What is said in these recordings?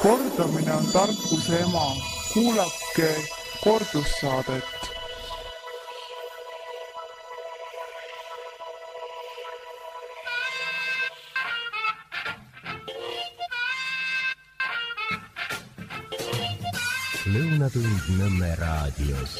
Kordamine on tarkuse ema. Kuulake kordussaadet. Lõunatund Nõmme raadios.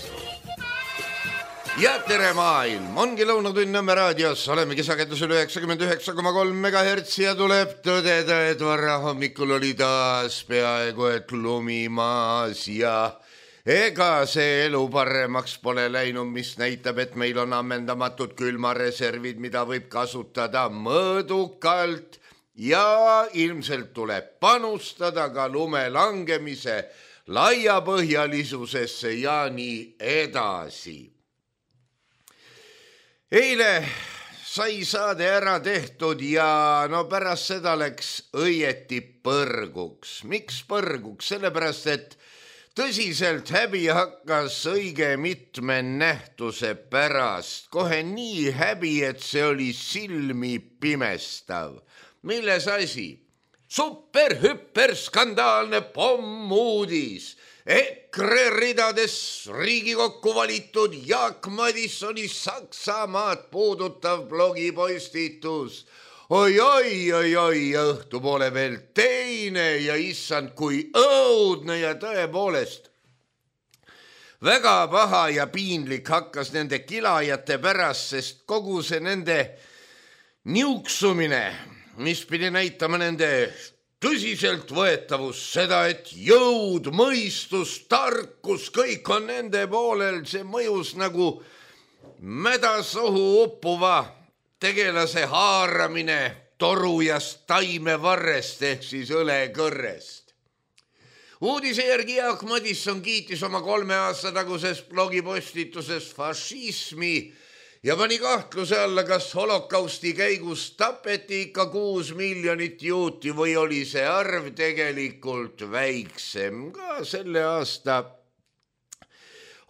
Ja tere maailm, ongi Lõunatund Nõmme raadios, olemegi sagedusel 99,3 MHz ja tuleb tõdeda, et varra hommikul oli taas peaaegu et lumi maas ja ega see elu paremaks pole läinud, mis näitab, et meil on ammendamatud külmareservid, mida võib kasutada mõõdukalt ja ilmselt tuleb panustada ka lume langemise laiapõhjalisusesse ja nii edasi. Eile sai saade ära tehtud ja no pärast seda läks õieti põrguks. Miks põrguks? Sellepärast, et tõsiselt häbi hakkas õige mitme nähtuse pärast. Kohe nii häbi, et see oli silmi pimestav. Milles asi? Super-hüper skandaalne pommuudis. EKRE ridades Riigikokku valitud Jaak Madissoni Saksamaad puudutav blogipostitus. Oi, õhtupoole veel teine ja issand kui õudne ja tõepoolest. Väga paha ja piinlik hakkas nende kilajate pärast, sest kogu see nende niuksumine, mis pidi näitama nende tõsiselt võetavus, seda, et jõud, mõistus, tarkus, kõik on nende poolel, see mõjus nagu mädasohu uppuva tegelase haaramine torujast taimevarrest ehk siis õlekõrrest. Uudise järgi Jaak Madisson kiitis oma 3 aasta taguses blogipostituses fašismi ja pani kahtluse alla, kas holokausti käigus tapeti ikka 6 miljonit juuti või oli see arv tegelikult väiksem. Ka selle aasta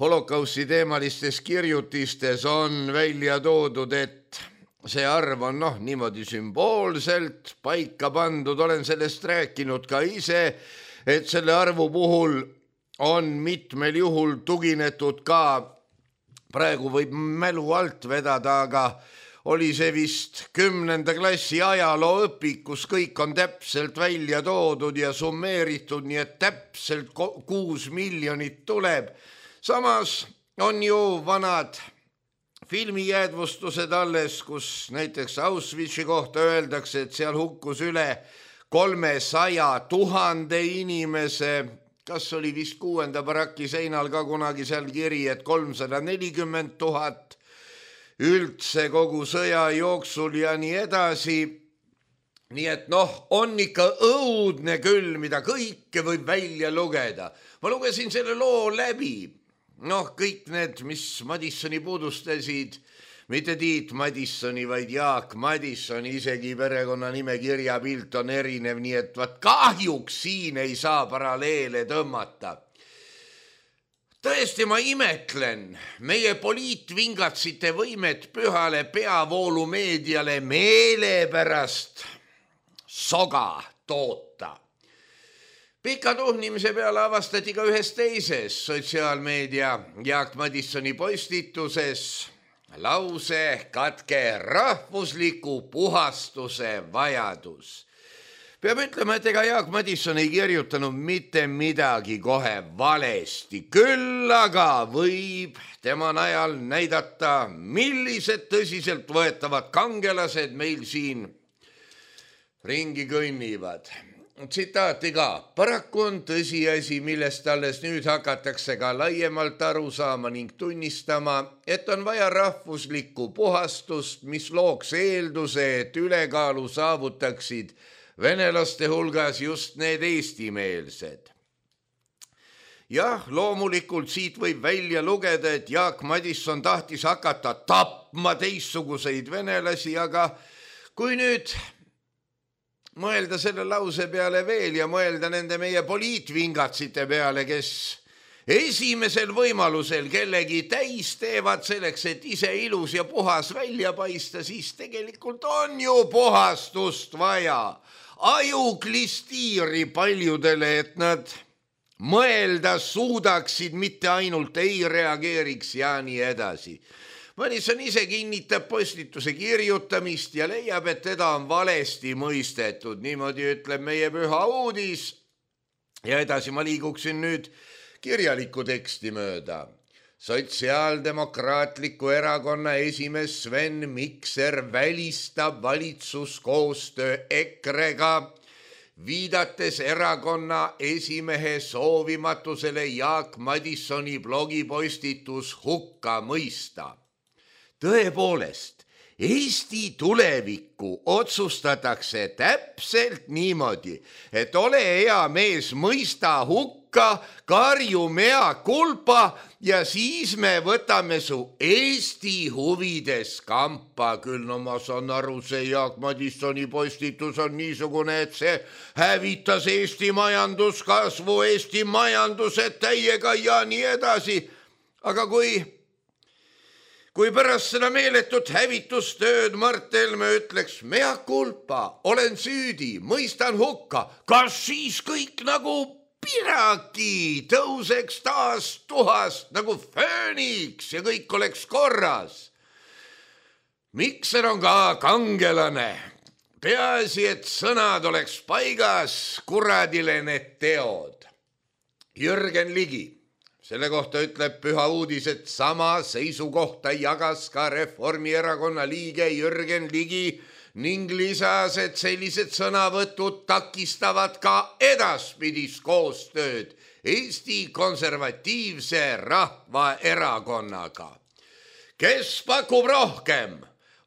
holokausti teemalistes kirjutistes on välja toodud, et see arv on niimoodi sümboolselt paika pandud. Olen sellest rääkinud ka ise, et selle arvu puhul on mitmel juhul tuginetud ka praegu võib mälu alt vedada, aga oli see vist 10. klassi ajalooõpikus, kõik on täpselt välja toodud ja summeeritud, nii et täpselt 6 miljonit tuleb. Samas on ju vanad filmijäädvustused alles, kus näiteks Auschwitzi kohta öeldakse, et seal hukkus üle 300 000 inimese. Kas oli vist 6. baraki seinal ka kunagi seal kiri, et 340 000 üldse kogu sõja jooksul ja nii edasi. Nii et on ikka õudne küll, mida kõike võib välja lugeda. Ma lugesin selle loo läbi. Kõik need, mis Madissoni puudustasid, mitte Tiit Madissoni, vaid Jaak Madissoni, isegi perekonnanime kirjapilt on erinev, nii et kahjuks siin ei saa paralleele tõmmata. Tõesti, ma imetlen meie poliitvingatsite võimet pühale peavoolumeediale meele pärast soga toota. Pika tuhnimise peale avastati ka ühes teises sotsiaalmeedia Jaak Madissoni postituses lause katke rahvusliku puhastuse vajadus. Peab ütlema, et ega Jaak Madisson ei kirjutanud mitte midagi kohe valesti. Küll aga võib tema najal näidata, millised tõsiselt võetavad kangelased meil siin ringi kõnnivad. Tsitaati ka. Paraku on tõsiasi, millest alles nüüd hakatakse ka laiemalt aru saama ning tunnistama, et on vaja rahvuslikku puhastust, mis looks eelduse, et ülekaalu saavutaksid venelaste hulgas just need eestimeelsed. Jah, loomulikult siit võib välja lugeda, et Jaak Madisson tahtis hakata tapma teistsuguseid venelasi, aga kui nüüd mõelda selle lause peale veel ja mõelda nende meie poliitvingatsite peale, kes esimesel võimalusel kellegi täis teevad selleks, et ise ilus ja puhas välja paista, siis tegelikult on ju puhastust vaja. ajuklistiiri paljudele, et nad mõelda suudaksid, mitte ainult ei reageeriks ja nii edasi. Madison ise kinnitab postituse kirjutamist ja leiab, et teda on valesti mõistetud. Niimoodi ütleb meie püha uudis. Ja edasi ma liiguksin nüüd kirjaliku teksti mööda. Sotsiaaldemokraatliku erakonna esimees Sven Mikser välistab valitsuskoostöö EKRE-ga, viidates erakonna esimehe soovimatusele Jaak Madisoni blogipostitus hukka mõista. Tõepoolest, Eesti tulevikku otsustatakse täpselt niimoodi, et ole hea mees, mõista hukka, karju mea kulpa ja siis me võtame su Eesti huvides kampa. Küll no ma saan aru, see Jaak Madisoni postitus on niisugune, et see hävitas Eesti majanduskasvu, Eesti majanduse täiega ja nii edasi. Aga kui pärast seda meeletut hävitustööd Mart Helme ütleks, mea culpa, olen süüdi, mõistan hukka, kas siis kõik nagu piraki tõuseks taas tuhast nagu fööniks ja kõik oleks korras? Mikser on ka kangelane. Peaasi, et sõnad oleks paigas, kuradile need teod. Jürgen Ligi. Selle kohta ütleb püha uudis, et sama seisukohta jagas ka Reformierakonna liige Jürgen Ligi ning lisas, et sellised sõnavõtud takistavad ka edaspidist koostööd Eesti Konservatiivse Rahvaerakonnaga. Kes pakub rohkem?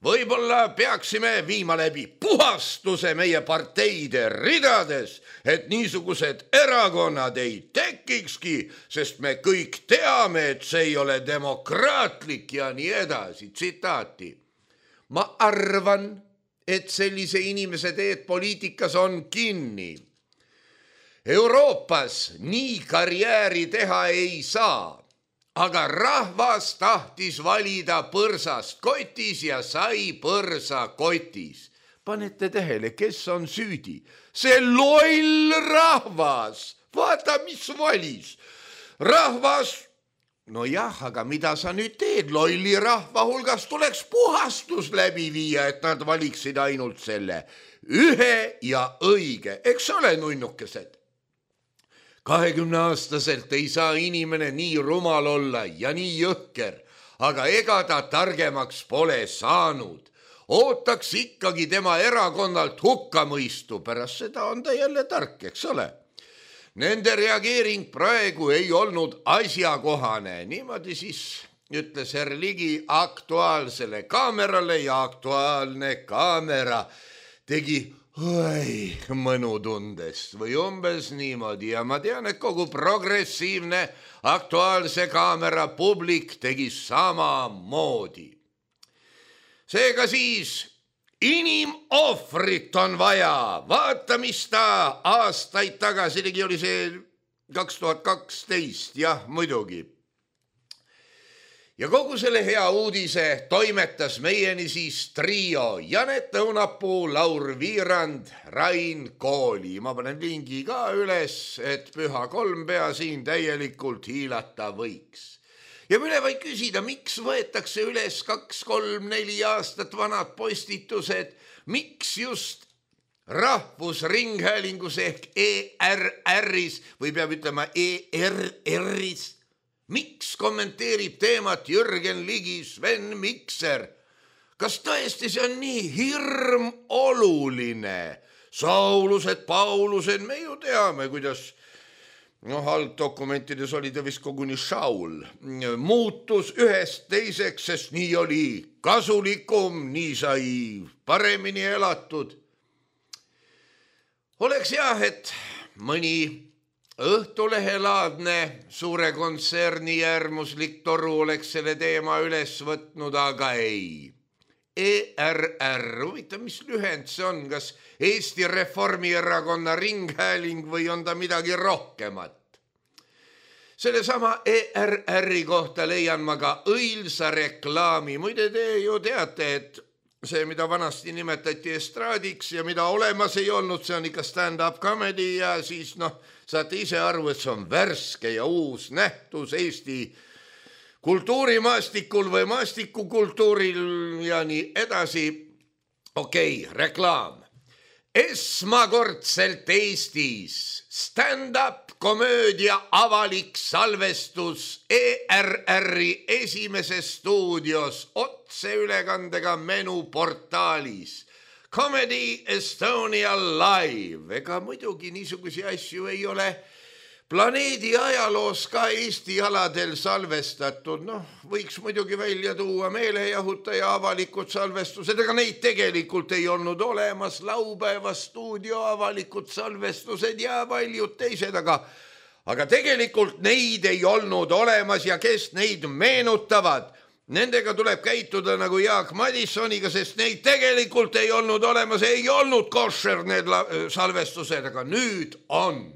Võib-olla peaksime viima läbi puhastuse meie parteide ridades, et niisugused erakonnad ei tekikski, sest me kõik teame, et see ei ole demokraatlik ja nii edasi. Tsitaati. Ma arvan, et sellise inimese teed poliitikas on kinni. Euroopas nii karjääri teha ei saa. Aga rahvas tahtis valida põrsast kotis ja sai põrsa kotis. Panete tähele, kes on süüdi? See loll rahvas. Vaata, mis valis. Rahvas, no jah, aga mida sa nüüd teed? Lolli rahva hulgas tuleks puhastus läbi viia, et nad valiksid ainult selle ühe ja õige. Eks ole, nunnukesed? 20-aastaselt ei saa inimene nii rumal olla ja nii jõhker, aga ega ta targemaks pole saanud. Ootaks ikkagi tema erakonnalt hukkamõistu, pärast seda on ta jälle tark, eks ole? Nende reageering praegu ei olnud asjakohane. Niimoodi siis ütles herr Ligi Aktuaalsele kaamerale ja Aktuaalne kaamera tegi mõnutundest või umbes niimoodi ja ma tean, et kogu progressiivne Aktuaalse kaamera publik tegi samamoodi. Seega siis inimohvrit on vaja. Vaata, mis ta aastaid tagasi tegi, oli see 2012, jah, muidugi. Ja kogu selle hea uudise toimetas meieni siis trio Janet Õunapuu, Laur Viirand, Rain Kooli. Ma panen lingi ka üles, et püha kolmpea siin täielikult hiilata võiks. Ja mille vaid küsida, miks võetakse üles 2, 3, 4 aastat vanad postitused, miks just Rahvusringhäälingus ehk ERR-is või peab ütlema ERR-is? Miks kommenteerib teemat Jürgen Ligi, Sven Mikser? Kas tõesti see on nii hirm oluline? Saulused, Paulused, me ju teame, kuidas algdokumentides oli ta vist koguni Saul. Muutus ühest teiseks, sest nii oli kasulikum, nii sai paremini elatud. Oleks jah, et mõni Õhtulehelaadne suure kontserni äärmuslik toru oleks selle teema üles võtnud, aga ei. ERR, huvitav, mis lühend see on, kas Eesti Reformierakonna Ringhääling või on ta midagi rohkemat? Sellesama ERR-i kohta leian ma ka õilsa reklaami. Muide, te ju teate, et see, mida vanasti nimetati estraadiks ja mida olemas ei olnud, see on ikka stand-up comedy ja siis saate ise aru, et see on värske ja uus nähtus Eesti kultuurimaastikul või maastikukultuuril ja nii edasi. Okei, reklaam. Esmakordselt Eestis stand-up komöödia avalik salvestus ERR-i esimeses stuudios otseülekandega menuportaalis Comedy Estonia Live. Ega muidugi niisugusi asju ei ole planeedi ajaloos ka Eesti aladel salvestatud. Võiks muidugi välja tuua meelejahutaja avalikud salvestused, ega neid tegelikult ei olnud olemas, laupäeva stuudio avalikud salvestused ja paljud teised, aga tegelikult neid ei olnud olemas ja kes neid meenutavad, nendega tuleb käituda nagu Jaak Madissoniga, sest neid tegelikult ei olnud olemas, ei olnud košer need salvestused, aga nüüd on.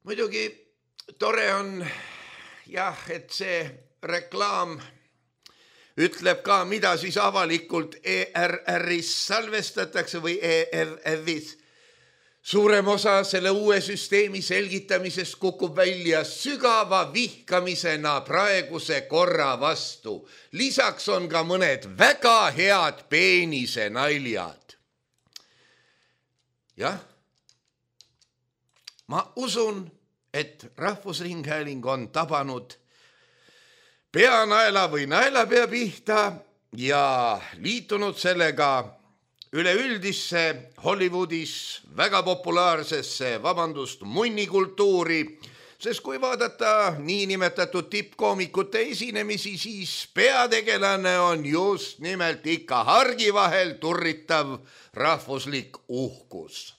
Muidugi tore on jah, et see reklaam ütleb ka, mida siis avalikult ERR-is salvestatakse või ERR-is. Suurem osa selle uue süsteemi selgitamisest kukub välja sügava vihkamisena praeguse korra vastu. Lisaks on ka mõned väga head peenise naljad. Jah, ma usun, et Rahvusringhääling on tabanud peanaela või naelapea pihta ja liitunud sellega üleüldisse Hollywoodis väga populaarsesse, munnikultuuri, sest kui vaadata niinimetatud tippkoomikute esinemisi, siis peategelane on just nimelt ikka hargi vahel turritav rahvuslik uhkus.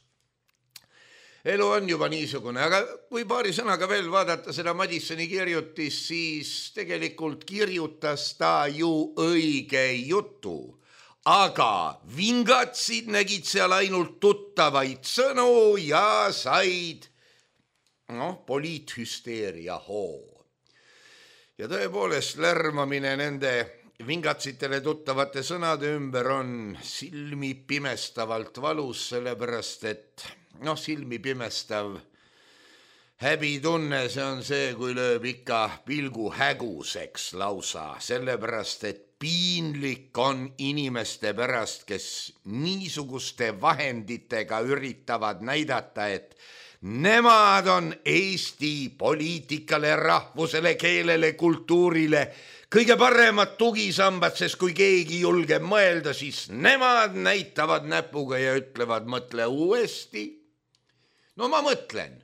Elu on juba niisugune, aga kui paari sõnaga veel vaadata seda Madissoni kirjutist, siis tegelikult kirjutas ta ju õige jutu. Aga vingatsid nägid seal ainult tuttavaid sõnu ja said poliithüsteeria hoo. Ja tõepoolest lärmamine nende vingatsitele tuttavate sõnade ümber on silmi pimestavalt valus, sellepärast et silmi pimestav häbitunne, see on see, kui lööb ikka pilgu häguseks lausa, sellepärast et piinlik on inimeste pärast, kes niisuguste vahenditega üritavad näidata, et nemad on Eesti poliitikale, rahvusele, keelele, kultuurile kõige paremad tugisambad, sest kui keegi julgeb mõelda, siis nemad näitavad näpuga ja ütlevad, mõtle uuesti. No ma mõtlen,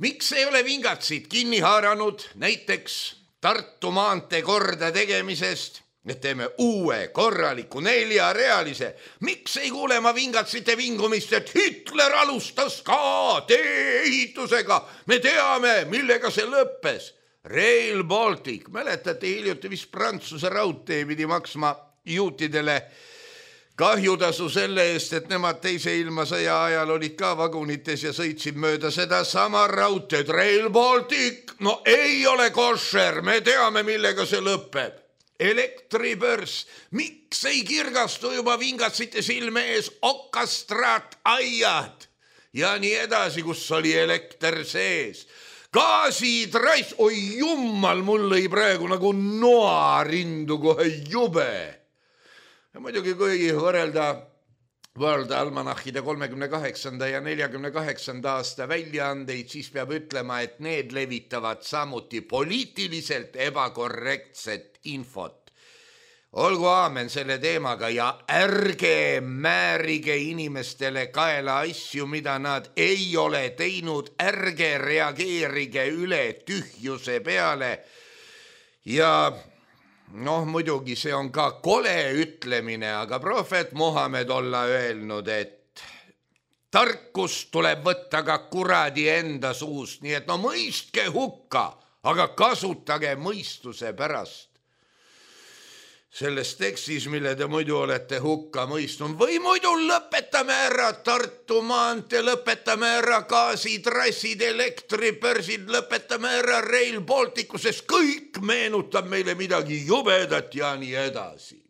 miks ei ole vingatsid kinni haaranud näiteks Tartu maantee korda tegemisest, et teeme uue korraliku 4-realise. Miks ei kuule ma vingatsite vingumist, et Hitler alustas ka tee-ehitusega? Me teame, millega see lõppes. Rail Baltic, mäletate hiljuti vist Prantsuse raudtee pidi maksma juutidele kahjutasu selle eest, et nemad teise ilmasõja ajal olid ka vagunites ja sõitsid mööda seda sama raudteed. Rail Baltic, ei ole košer, me teame, millega see lõpeb. Elektribörs, miks ei kirgastu juba vingatsite silme ees okastraat aiad ja nii edasi, kus oli elekter sees. Gaasitrass, oi jummal, mul lõi praegu nagu noarindu kohe jube. Ja muidugi, kui võrrelda World Almanachide 38. ja 48. aasta väljaandeid, siis peab ütlema, et need levitavad samuti poliitiliselt ebakorrektset infot. Olgu aamen selle teemaga ja ärge määrige inimestele kaela asju, mida nad ei ole teinud, ärge reageerige üle tühjuse peale ja muidugi see on ka kole ütlemine, aga prohvet Muhamed olla öelnud, et tarkust tuleb võtta ka kuradi enda suust, nii et mõistke hukka, aga kasutage mõistuse pärast. selles tekstis, mille te muidu olete hukka mõistnud, või muidu lõpetame ära Tartu maantee, lõpetame ära gaasitrassid, elektribörsid, lõpetame ära Rail Balticu, sest kõik meenutab meile midagi jubedat ja nii edasi.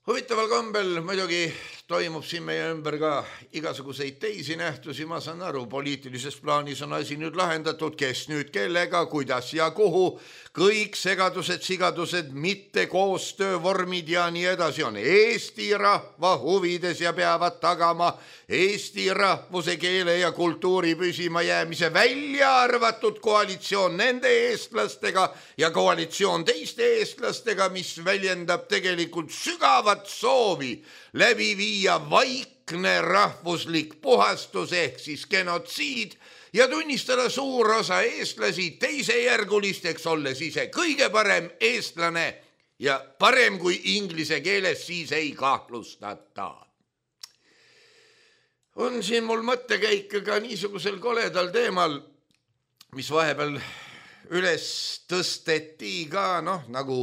Huvitaval kombel muidugi toimub siin meie ümber ka igasuguseid teisi nähtusi, ma saan aru, poliitilises plaanis on asi nüüd lahendatud, kes nüüd kellega, kuidas ja kuhu, kõik segadused, sigadused, mitte koostöövormid ja nii edasi on Eesti rahva huvides ja peavad tagama Eesti rahvuse, keele ja kultuuri püsima jäämise, välja arvatud koalitsioon nende eestlastega ja koalitsioon teiste eestlastega, mis väljendab tegelikult sügavat soovi läbi viia vaikne rahvuslik puhastus ehk siis genotsiid ja tunnistada suur osa eestlasi teisejärgulisteks, olles ise kõige parem eestlane ja parem kui inglise keeles, siis ei kahtlustata. On siin mul mõttekäik ka niisugusel koledal teemal, mis vahepeal üles tõsteti ka, nagu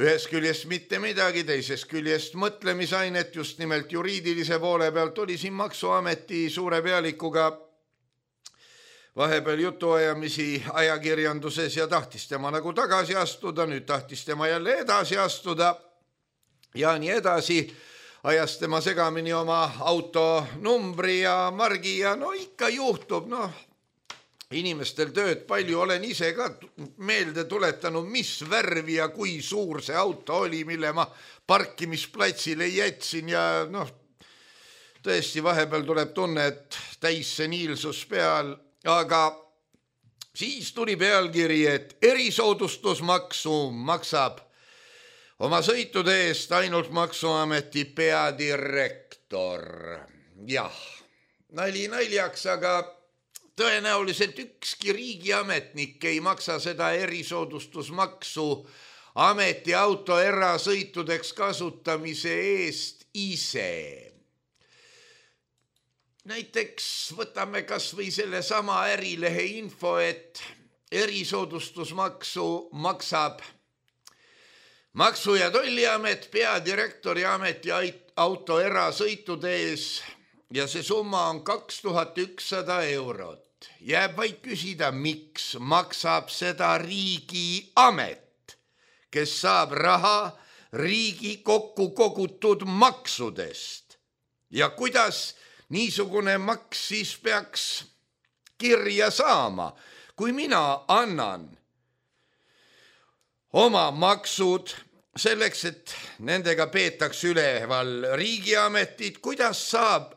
ühest küljest mitte midagi, teisest küljest mõtlemisainet, just nimelt juriidilise poole pealt oli siin Maksuameti suure pealikuga vahepeal jutuajamisi ajakirjanduses ja tahtis tema nagu tagasi astuda, nüüd tahtis tema jälle edasi astuda ja nii edasi, ajas tema segamini oma auto numbri ja margi ja ikka juhtub, inimestel tööd palju, olen ise ka meelde tuletanud, mis värvi ja kui suur see auto oli, mille ma parkimisplatsile jätsin ja tõesti vahepeal tuleb tunne, et täis seniilsus peal, aga siis tuli pealkiri, et erisoodustusmaksu maksab oma sõitude eest ainult Maksuameti peadirektor. Jah, nali naljaks, aga tõenäoliselt ükski riigiametnik ei maksa seda erisoodustusmaksu ametiauto erasõitudeks kasutamise eest ise. Näiteks võtame kas või selle sama Ärilehe info, et erisoodustusmaksu maksab Maksu- ja Tolliamet peadirektori ametiauto erasõitude ees ja see summa on 2100 eurot. Jääb vaid küsida, miks maksab seda riigiamet, kes saab raha riigi kokku kogutud maksudest. Ja kuidas niisugune maks siis peaks kirja saama, kui mina annan oma maksud selleks, et nendega peetaks üleval riigiametit, kuidas saab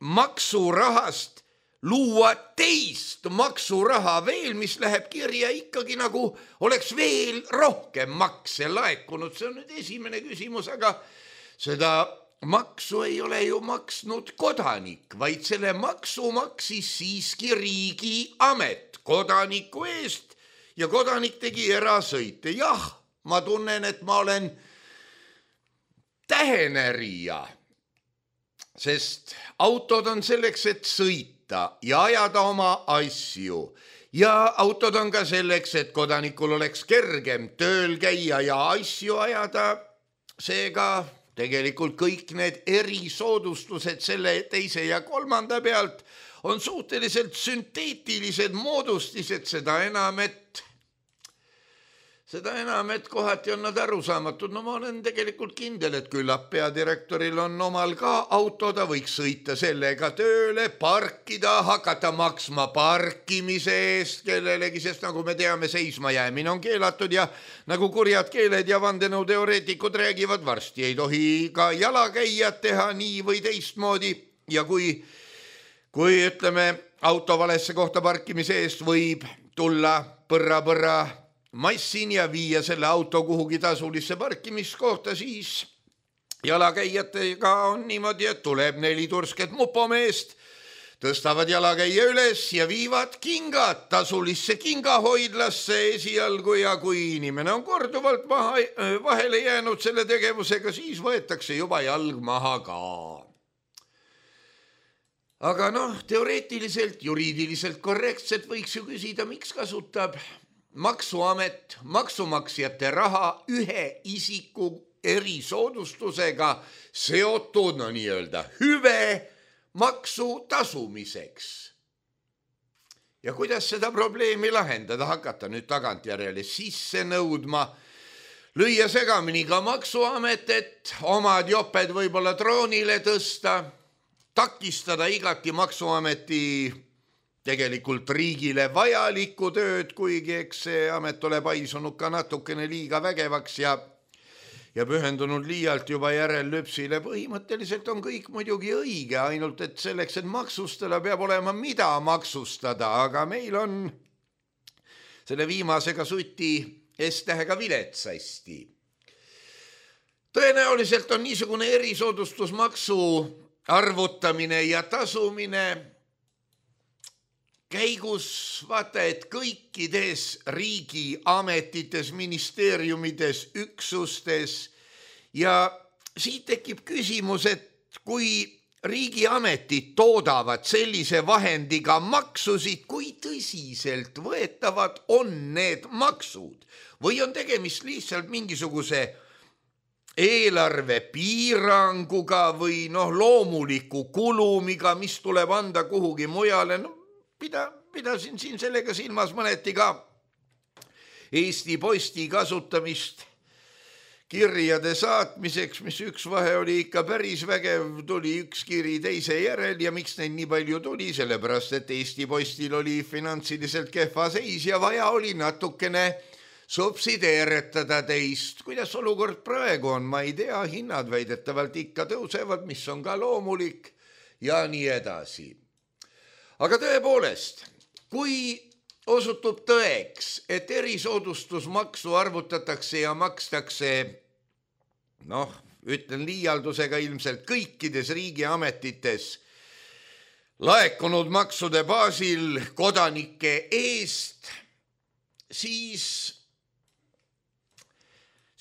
maksurahast luua teist maksuraha veel, mis läheb kirja ikkagi nagu oleks veel rohkem makse laekunud. See on nüüd esimene küsimus, aga seda maksu ei ole ju maksnud kodanik, vaid selle maksu maksis siiski riigiamet kodaniku eest ja kodanik tegi erasõite. Jah, ma tunnen, et ma olen tähenärija, sest autod on selleks, et sõita ja ajada oma asju. Ja autod on ka selleks, et kodanikul oleks kergem tööl käia ja asju ajada. Seega tegelikult kõik need erisoodustused selle teise ja kolmanda pealt on suhteliselt sünteetilised moodustised, seda enam, et kohati on nad arusaamatud. Ma olen tegelikult kindel, et küllap peadirektoril on omal ka auto, ta võiks sõita sellega tööle, parkida, hakata maksma parkimise eest kellelegi, sest nagu me teame, seisma jäämine on keelatud ja nagu kurjad keeled ja vandenõuteoreetikud räägivad, varsti ei tohi ka jalakäijad teha nii või teistmoodi ja kui ütleme, auto valesse kohta parkimise eest võib tulla põrra massin ja viia selle auto kuhugi tasulisse parkimiskohta, siis jalakäijatega on niimoodi, et tuleb 4 tursket mupomeest, tõstavad jalakäija üles ja viivad kingad tasulisse kingahoidlasse esialgu ja kui inimene on korduvalt vahele jäänud selle tegevusega, siis võetakse juba jalg maha ka. Aga teoreetiliselt, juriidiliselt korrektselt võiks ju küsida, miks kasutab maksuamet maksumaksjate raha ühe isiku erisoodustusega seotud, no nii-öelda hüve maksu tasumiseks. Ja kuidas seda probleemi lahendada, hakata nüüd tagantjärele sisse nõudma, lüüa segamini ka maksuamet, et omad joped võib-olla troonile tõsta, takistada igati maksuameti tegelikult riigile vajalikku tööd, kuigi eks see amet ole paisunud ka natukene liiga vägevaks ja pühendunud liialt juba järellüpsile. Põhimõtteliselt on kõik muidugi õige, ainult et selleks, et maksustada, peab olema mida maksustada, aga meil on selle viimasega suti S-tähega viletsasti. Tõenäoliselt on niisugune erisoodustusmaksu arvutamine ja tasumine käigus vaata, et kõikides riigi ametites, ministeeriumides, üksustes ja siit tekib küsimus, et kui riigiametid toodavad sellise vahendiga maksusid, kui tõsiselt võetavad on need maksud või on tegemist lihtsalt mingisuguse eelarve piiranguga või loomuliku kulumiga, mis tuleb anda kuhugi mujale. Pidasin siin sellega silmas mõneti ka Eesti Posti kasutamist kirjade saatmiseks, mis üks vahe oli ikka päris vägev, tuli üks kiri teise järel ja miks neid nii palju tuli, sellepärast et Eesti Postil oli finantsiliselt kehva seis ja vaja oli natukene subsideeritada teist. Kuidas olukord praegu on, ma ei tea, hinnad väidetavalt ikka tõusevad, mis on ka loomulik ja nii edasi. Aga tõepoolest, kui osutub tõeks, et erisoodustusmaksu arvutatakse ja makstakse, ütlen liialdusega ilmselt kõikides riigiametites laekunud maksude baasil kodanike eest, siis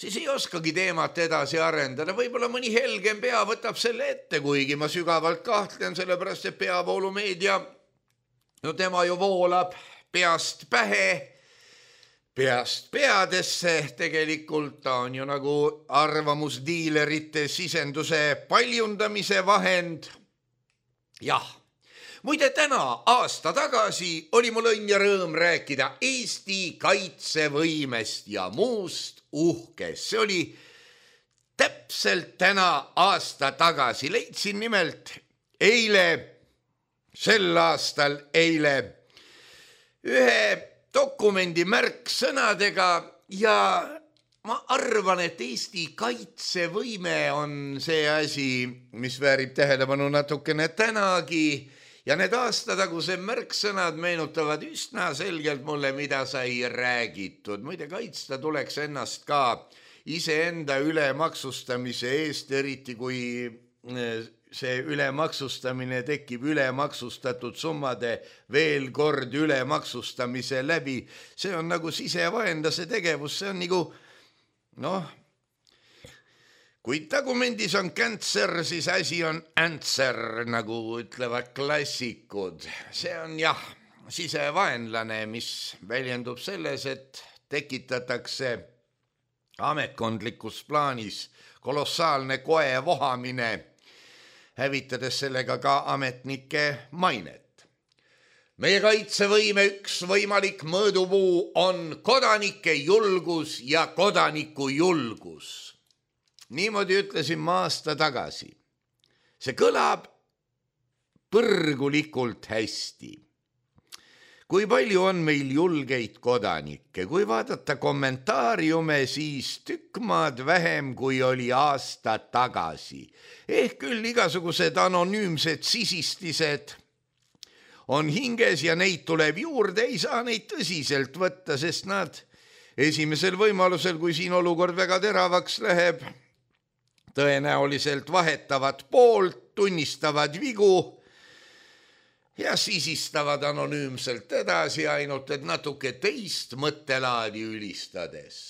ei oskagi teemat edasi arendada. Võib-olla mõni helgem pea võtab selle ette, kuigi ma sügavalt kahtlen, sellepärast et peavoolumeedia tema ju voolab peast pähe, peast peadesse, tegelikult ta on ju nagu arvamusdiilerite sisenduse paljundamise vahend. Jah, muide täna aasta tagasi oli mul õnn ja rõõm rääkida Eesti kaitsevõimest ja muust uhkest. See oli täpselt täna aasta tagasi. Leidsin nimelt sel aastal eile ühe dokumendi märksõnadega ja ma arvan, et Eesti kaitsevõime on see asi, mis väärib tähelepanu natukene tänagi ja need aastatagused märksõnad meenutavad üsna selgelt mulle, mida sai räägitud. Muide, kaitsta tuleks ennast ka iseenda ülemaksustamise eest, eriti kui see ülemaksustamine tekib ülemaksustatud summade veel kord ülemaksustamise läbi. See on nagu sisevaenlase tegevus, see on nagu, kui tagumendis on cancer, siis asi on answer, nagu ütlevad klassikud. See on sisevaenlane, mis väljendub selles, et tekitatakse ametkondlikus plaanis kolossaalne koe vohamine, hävitades sellega ka ametnike mainet. Meie kaitsevõime üks võimalik mõõdupuu on kodanike julgus ja kodaniku julgus. Niimoodi ütlesin ma aasta tagasi. See kõlab põrgulikult hästi. Kui palju on meil julgeid kodanikke? Kui vaadata kommentaariume, siis tükk maad vähem, kui oli aasta tagasi. Ehk küll igasugused anonüümsed sisistised on hinges ja neid tuleb juurde, ei saa neid tõsiselt võtta, sest nad esimesel võimalusel, kui siin olukord väga teravaks läheb, tõenäoliselt vahetavad poolt, tunnistavad vigu ja sisistavad anonüümselt edasi, ainult et natuke teist mõttelaadi ülistades.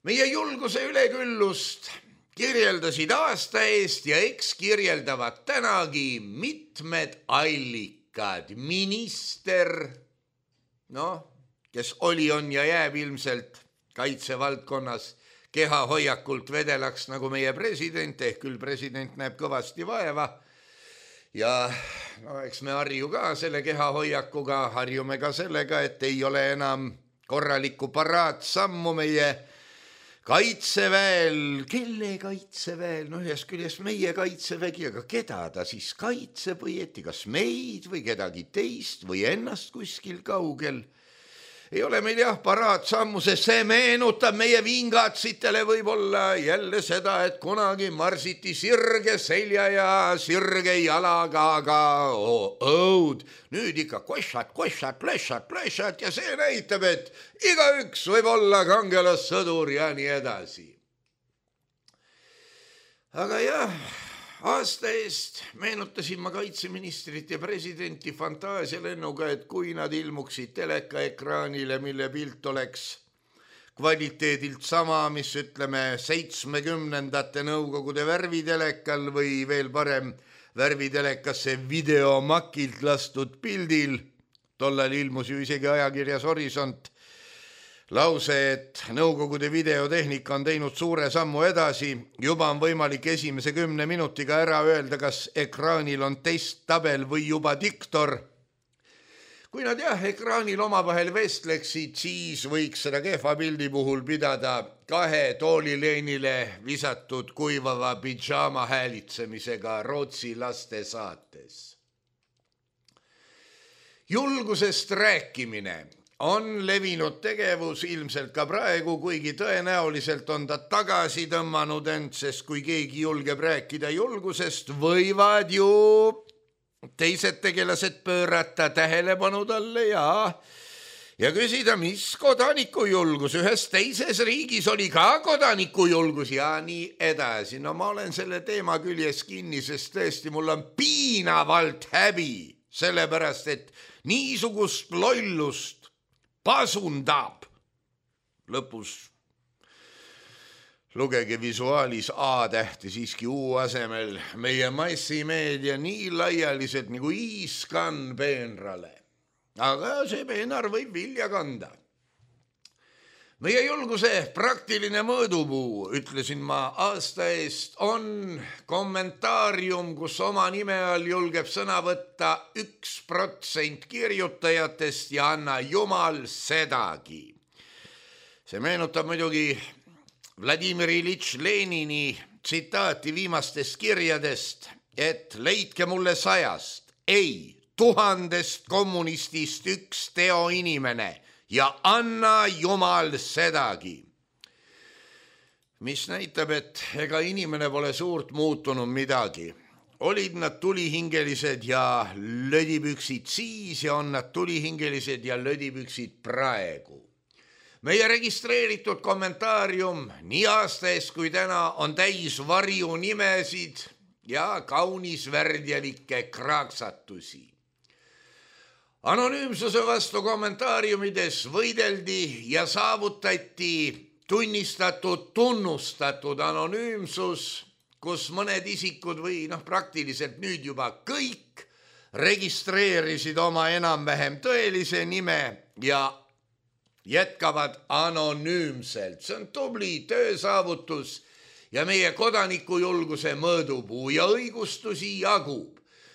Meie julguse üleküllust kirjeldasid aasta eest ja eks kirjeldavad tänagi mitmed allikad. Minister, kes oli, on ja jääb ilmselt kaitsevaldkonnas kehahoiakult vedelaks nagu meie president, ehk küll president näeb kõvasti vaeva ja no, eks me harju ka selle kehahoiakuga, harjume ka sellega, et ei ole enam korralikku paraatsammu meie kaitseväel. Kelle kaitseväel? No ühest küljest meie kaitsevägi, aga keda ta siis kaitseb või eti, kas meid või kedagi teist või ennast kuskil kaugel? Ei ole meil jah paraatsammu, sest see meenutab meie vingatsitele võib-olla jälle seda, et kunagi marsiti sirge selja ja sirge jalaga, aga õud. Nüüd ikka košat ja see näitab, et igaüks võib olla kangelassõdur ja nii edasi. Aga jah, aasta eest meenutasin ma kaitseministrit ja presidenti fantaasialennuga, et kui nad ilmuksid telekaekraanile, mille pilt oleks kvaliteedilt sama, mis ütleme 70ndate Nõukogude värvitelekal või veel parem värvitelekasse videomakilt lastud pildil. Tollal ilmus ju isegi ajakirjas Horisont lause, et Nõukogude videotehnika on teinud suure sammu edasi. Juba on võimalik esimese 10 minutiga ära öelda, kas ekraanil on testtabel või juba diktor. Kui nad jah, ekraanil omavahel vestleksid, siis võiks seda kehva pildi puhul pidada 2 toolileenile visatud kuivava pidžaama häälitsemisega Rootsi laste saates. Julgusest rääkimine on levinud tegevus ilmselt ka praegu, kuigi tõenäoliselt on ta tagasi tõmmanud end, sest kui keegi julgeb rääkida julgusest, võivad ju teised tegelased pöörata tähelepanu talle ja küsida, mis kodanikujulgus, ühes teises riigis oli ka kodanikujulgus ja nii edasi. No ma olen selle teema küljes kinni, sest tõesti mul on piinavalt häbi, sellepärast et niisugust lollust pasundab. Lõpus lugege visuaalis A-tähti siiski U asemel meie massimeedia nii laialiselt nagu iiskann peenrale. Aga see peenar võib vilja kanda. Meie julguse praktiline mõõdupuu, ütlesin ma aasta eest, on kommentaarium, kus oma nime all julgeb sõna võtta 1% kirjutajatest ja anna jumal sedagi. See meenutab muidugi Vladimir Ilitš Lenini tsitaati viimastest kirjadest, et leidke mulle 100, ei 1000 kommunistist 1 teoinimene ja anna jumal sedagi. Mis näitab, et ega inimene pole suurt muutunud midagi. Olid nad tulihingelised ja lödipüksid siis ja on nad tulihingelised ja lödipüksid praegu. Meie registreeritud kommentaarium nii aasta eest kui täna on täis varju nimesid ja kaunis värdjalikke kraaksatusi. Anonüümsuse vastu kommentaariumides võideldi ja saavutati tunnustatud anonüümsus, kus mõned isikud või praktiliselt nüüd juba kõik registreerisid oma enam-vähem tõelise nime ja jätkavad anonüümselt. See on tubli töösaavutus ja meie kodanikujulguse mõõdupuu ja õigustusi jagub.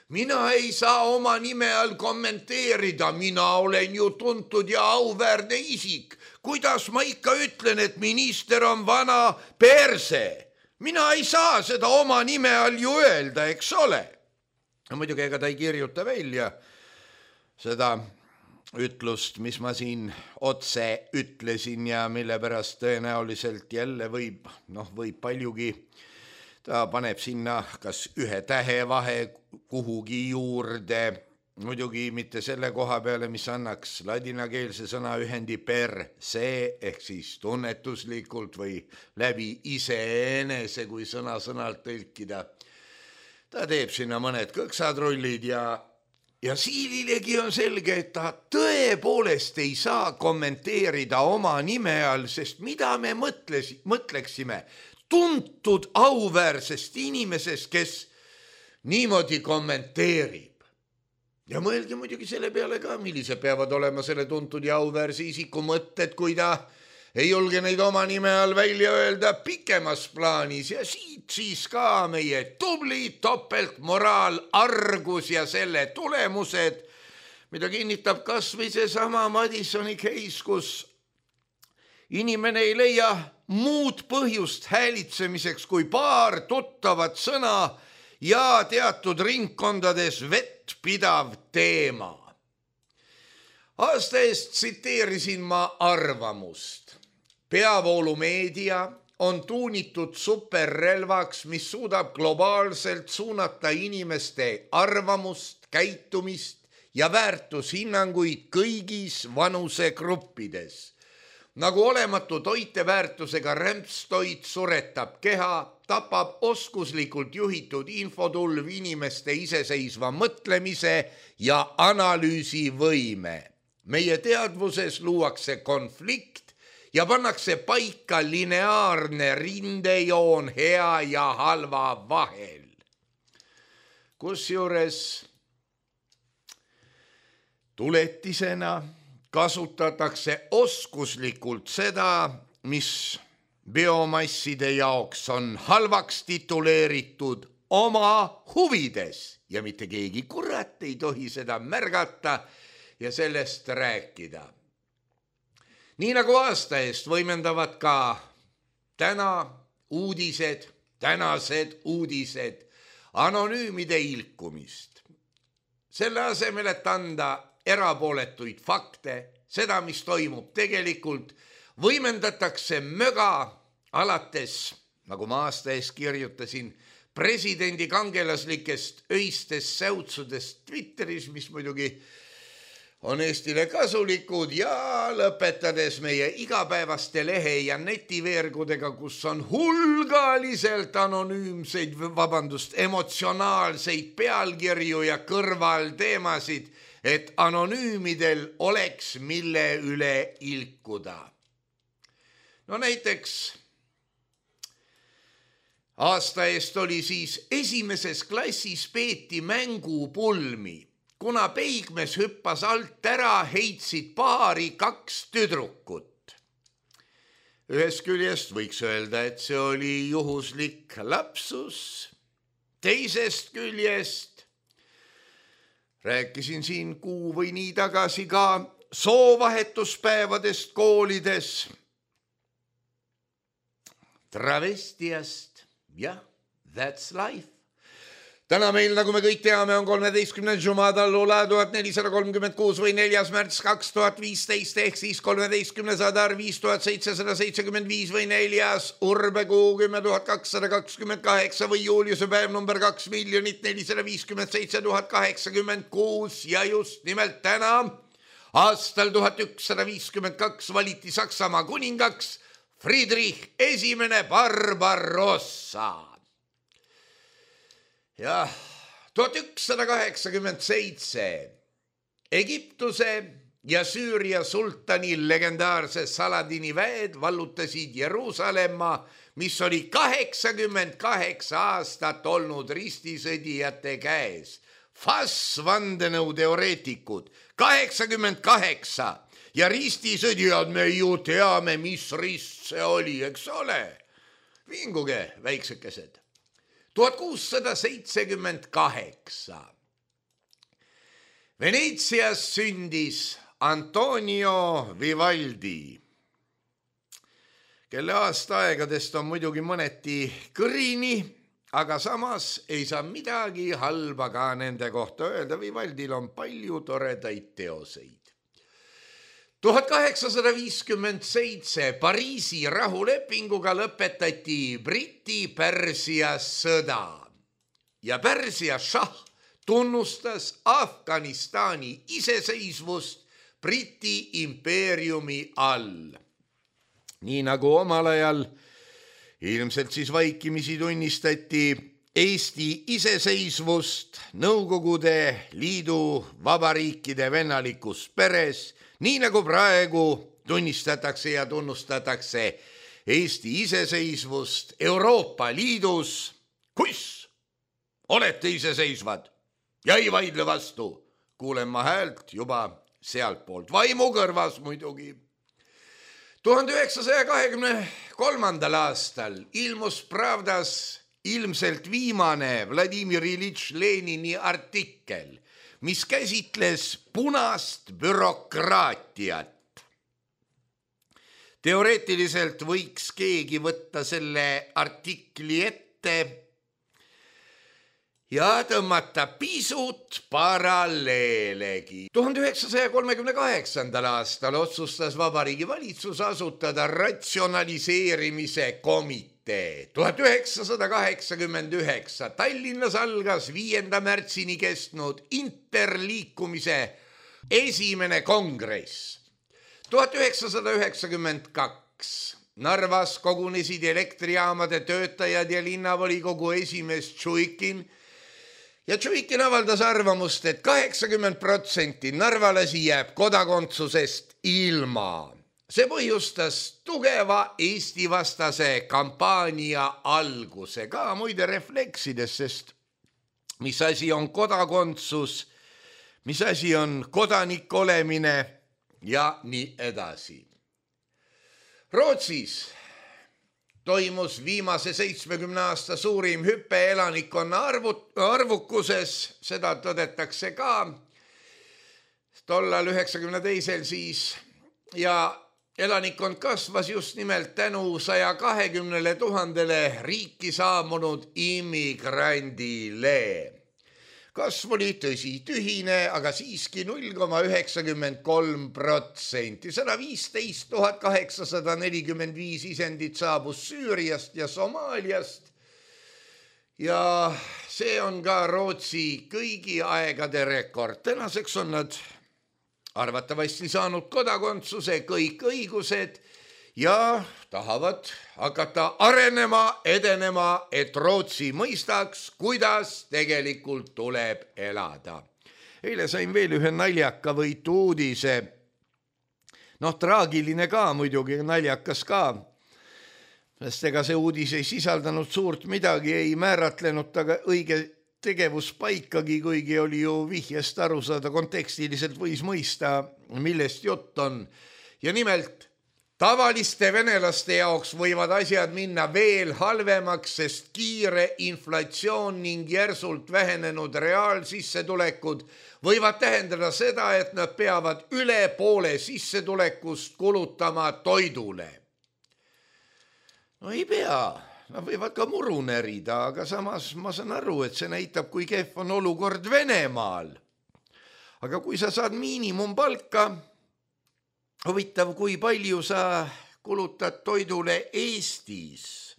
Mina ei saa oma nime all kommenteerida, mina olen ju tuntud ja auväärne isik. Kuidas ma ikka ütlen, et minister on vana perse? Mina ei saa seda oma nime all ju öelda, eks ole. Muidugi ega ta ei kirjuta välja seda ütlust, mis ma siin otse ütlesin ja mille pärast tõenäoliselt jälle võib paljugi. Ta paneb sinna kas 1 tähe vahe kuhugi juurde, muidugi mitte selle koha peale, mis annaks ladinakeelse sõna ühendi per se ehk siis tunnetuslikult või läbi iseenese, kui sõna-sõnalt tõlkida. Ta teeb sinna mõned kõksatrullid ja Siililegi on selge, et ta tõepoolest ei saa kommenteerida oma nime all, sest mida me mõtleksime tuntud auväärsest inimesest, kes niimoodi kommenteerib. Ja mõelge muidugi selle peale ka, millise peavad olema selle tuntud ja auväärse isiku mõtted, kui ta ei julge neid oma nime all välja öelda pikemas plaanis ja siit siis ka meie tubli topeltmoraal, argus ja selle tulemused, mida kinnitab kas või seesama Madisoni case, kus inimene ei leia muud põhjust häälitsemiseks kui paar tuttavat sõna ja teatud ringkondades vettpidav teema. Aasta eest tsiteerisin ma arvamust. Peavoolumeedia on tuunitud superrelvaks, mis suudab globaalselt suunata inimeste arvamust, käitumist ja väärtushinnanguid kõigis vanusegruppides. Nagu olematu toiteväärtusega rämpstoit suretab keha, tapab oskuslikult juhitud infotulv inimeste iseseisva mõtlemise ja analüüsivõime. Meie teadvuses luuakse konflikt ja pannakse paika lineaarne rindejoon hea ja halva vahel. Kusjuures tuletisena kasutatakse oskuslikult seda, mis biomasside jaoks on halvaks tituleeritud oma huvides ja mitte keegi kurat ei tohi seda märgata ja sellest rääkida. Nii nagu aasta eest võimendavad ka tänased uudised anonüümide ilkumist. Selle asemel, et anda erapooletuid fakte, seda, mis toimub tegelikult, võimendatakse möga alates, nagu ma aasta eest kirjutasin, presidendi kangelaslikest öistest säutsudest Twitteris, mis muidugi on Eestile kasulikud ja lõpetades meie igapäevaste lehe ja netiveergudega, kus on hulgaliselt emotsionaalseid pealkirju ja kõrvalteemasid, et anonüümidel oleks mille üle ilkuda. No näiteks aasta eest oli siis esimeses klassis peeti mängupulmi. Kuna peigmees hüppas alt ära, heitsid paari 2 tüdrukut. Ühest küljest võiks öelda, et see oli juhuslik lapsus. Teisest küljest rääkisin siin kuu või nii tagasi ka soovahetuspäevadest koolides. Travestiast, jah, that's life. Täna meil, nagu me kõik teame, on 13. Jumadallula 1436 või 4. märts 2015 ehk siis 13. sadar 5775 või 4. urbekuu 10228 või Juliuse päev number 2 457 086 ja just nimelt täna aastal 1152 valiti Saksamaa kuningaks Friedrich I Barbarossa. Jah, 1187 Egiptuse ja Süüria sultani legendaarse Saladini väed vallutasid Jeruusalemma, mis oli 88 aastat olnud ristisõdijate käes. Vandenõuteoreetikud, 88 ja ristisõdijad, me ju teame, mis rist see oli, eks ole? Vinguge, väiksekesed. 1678 Veneetsias sündis Antonio Vivaldi, kelle aastaaegadest on muidugi mõneti kõrini, aga samas ei saa midagi halba ka nende kohta öelda. Vivaldil on palju toredaid teoseid. 1857 Pariisi rahulepinguga lõpetati Briti-Pärsia sõda ja Pärsia šah tunnustas Afganistani iseseisvust Briti impeeriumi all. Nii nagu omal ajal ilmselt siis vaikimisi tunnistati Eesti iseseisvust Nõukogude Liidu vabariikide vennalikus peres, nii nagu praegu tunnistatakse ja tunnustatakse Eesti iseseisvust Euroopa Liidus, kus olete iseseisvad ja ei vaidle vastu, kuulen ma häält juba sealt poolt, vaimu kõrvas muidugi. 1923. aastal ilmus Pravdas ilmselt viimane Vladimir Ilitš Lenini artikkel, mis käsitles punast bürokraatiat. Teoreetiliselt võiks keegi võtta selle artikli ette ja tõmmata pisut paralleelegi. 1938. aastal otsustas Vabariigi Valitsus asutada ratsionaliseerimise komitee. 1989 Tallinnas algas 5. märtsini kestnud interliikumise esimene kongress. 1992 Narvas kogunesid elektrijaamade töötajad ja linnavolikogu esimees Tšuikin ja Tšuikin avaldas arvamust, et 80% narvalasi jääb kodakondsusest ilma. See põhjustas tugeva Eesti-vastase kampaania alguse, ka muide refleksides, sest mis asi on kodakondsus, mis asi on kodanik olemine ja nii edasi. Rootsis toimus viimase 70 aasta suurim hüpe elanikkonna arvukuses, seda tõdetakse ka tollal 92. siis ja elanikkond kasvas just nimelt tänu 120 000 riiki saabunud immigrandile. Kasv oli tõsi tühine, aga siiski 0,93%. 115 845 isendit saabus Süüriast ja Somaaliast. Ja see on ka Rootsi kõigi aegade rekord. Tänaseks on nad arvatavasti saanud kodakondsuse, kõik õigused ja tahavad hakata arenema, edenema, et Rootsi mõistaks, kuidas tegelikult tuleb elada. Eile sain veel ühe naljaka võitu uudise. Traagiline ka muidugi, naljakas ka. Sest ega see uudis ei sisaldanud suurt midagi, ei määratlenud taga õige tegevuspaikagi, kuigi oli ju vihjest aru saada, kontekstiliselt võis mõista, millest jutt on. Ja nimelt, tavaliste venelaste jaoks võivad asjad minna veel halvemaks, sest kiire inflatsioon ning järsult vähenenud reaalsissetulekud võivad tähendada seda, et nad peavad üle poole sissetulekust kulutama toidule. No ei pea, nad võivad ka muru närida, aga samas ma saan aru, et see näitab, kui kehv on olukord Venemaal. Aga kui sa saad miinimumpalka, huvitav, kui palju sa kulutad toidule Eestis,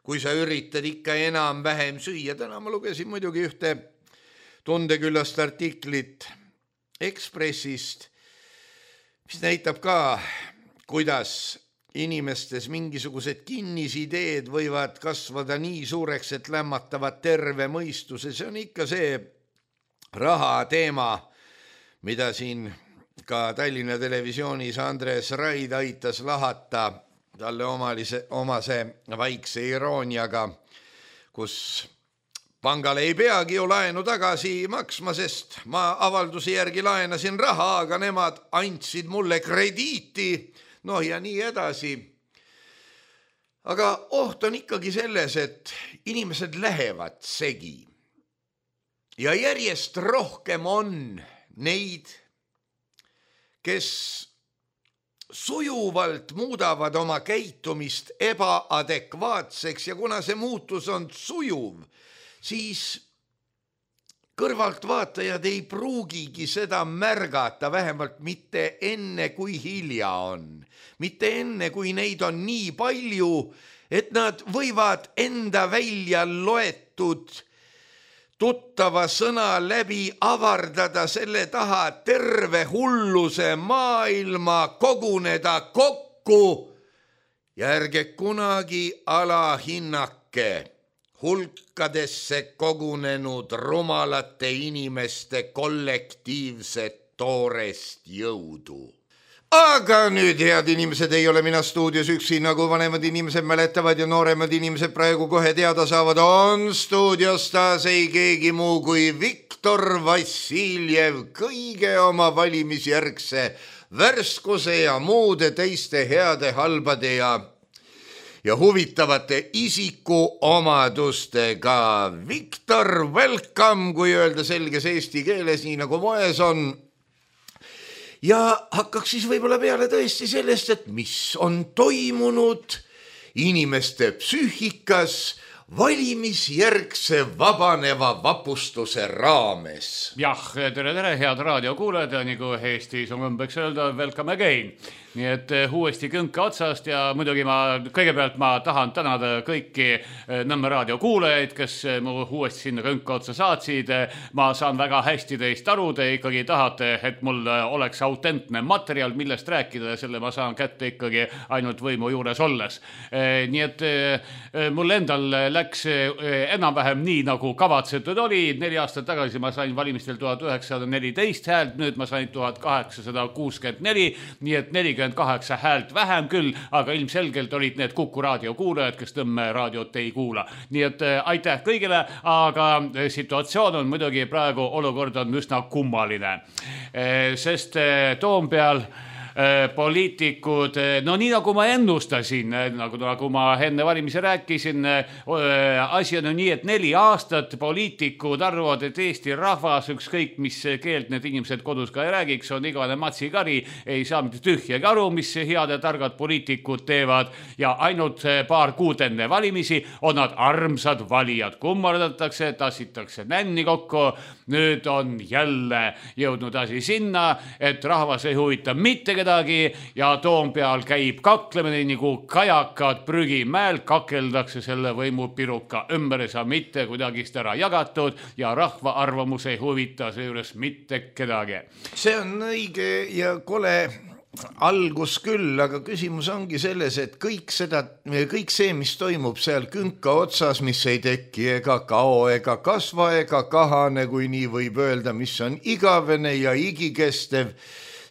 kui sa üritad ikka enam-vähem süüa. Täna ma lugesin muidugi ühte tundeküllast artiklit Ekspressist, mis näitab ka, kuidas inimestes mingisugused kinnisideed võivad kasvada nii suureks, et lämmatavad terve mõistuse. See on ikka see raha teema, mida siin ka Tallinna Televisioonis Andres Raid aitas lahata talle omase vaikse irooniaga, kus pangale ei peagi ju laenu tagasi maksma, sest ma avalduse järgi laenasin raha, aga nemad andsid mulle krediiti, ja nii edasi. Aga oht on ikkagi selles, et inimesed lähevad segi ja järjest rohkem on neid, kes sujuvalt muudavad oma käitumist ebaadekvaatseks ja kuna see muutus on sujuv, siis kõrvaltvaatajad ei pruugigi seda märgata, vähemalt mitte enne, kui hilja on. Mitte enne, kui neid on nii palju, et nad võivad enda välja loetud tuttava sõna läbi avardada selle taha terve hulluse maailma, koguneda kokku ja ärge kunagi alahinnake hulkadesse kogunenud rumalate inimeste kollektiivset toorest jõudu. Aga nüüd, head inimesed, ei ole mina stuudios üksi, nagu vanemad inimesed mäletavad ja nooremad inimesed praegu kohe teada saavad, on stuudios taas ei keegi muu kui Viktor Viktor Vassiljev kõige oma valimisjärgse värskuse ja muude teiste heade, halbade ja huvitavate isikuomadustega. Viktor, welcome, kui öelda selges eesti keeles, nii nagu moes on. Ja hakkaks siis võib-olla peale tõesti sellest, et mis on toimunud inimeste psüühikas valimisjärgse vabaneva vapustuse raames. Jah, tere, head raadiokuulajad, nagu Eestis on võmbeks öelda, welcome again. Nii et uuesti kõnke otsast ja muidugi kõigepealt ma tahan tänada kõiki Nõmme raadio kuulajaid, kes mu uuesti sinna kõnke otsa saatsid. Ma saan väga hästi teist aru, te ikkagi tahate, et mul oleks autentne materjal, millest rääkida ja selle ma saan kätte ikkagi ainult võimu juures olles. Nii et mul endal läks enam-vähem nii, nagu kavatsetud oli. 4 aastat tagasi ma sain valimistel 1914 häält, nüüd ma sain 1864, nii et 48 häält vähem küll, aga ilmselgelt olid need Kuku raadio kuulajad, kes Nõmme raadiot ei kuula. Nii et aitäh kõigile, aga situatsioon on muidugi praegu, olukord on üsna kummaline, sest Toompeal poliitikud, no nii nagu ma ennustasin, nagu ma enne valimisi rääkisin, asi on nii, et 4 aastat poliitikud arvavad, et Eesti rahvas, ükskõik mis keelt need inimesed kodus ka ei räägiks, on igane matsikari, ei saa mitte tühjagi aru, mis head ja targad poliitikud teevad ja ainult paar kuud enne valimisi on nad armsad valijad, kummardatakse, tassitakse nänni kokku. Nüüd on jälle jõudnud asi sinna, et rahvas ei huvita mitte kedagi ja Toompeal käib kaklemine nagu kajakad prügimäel, kakeldakse selle võimupiruka ümber, ei saa mitte kuidagist ära jagatud ja rahva arvamus ei huvita seejuures mitte kedagi. See on õige ja kole algus küll, aga küsimus ongi selles, et kõik see, mis toimub seal künka otsas, mis ei teki ega kao ega kasva ega kahane, kui nii võib öelda, mis on igavene ja igikestev,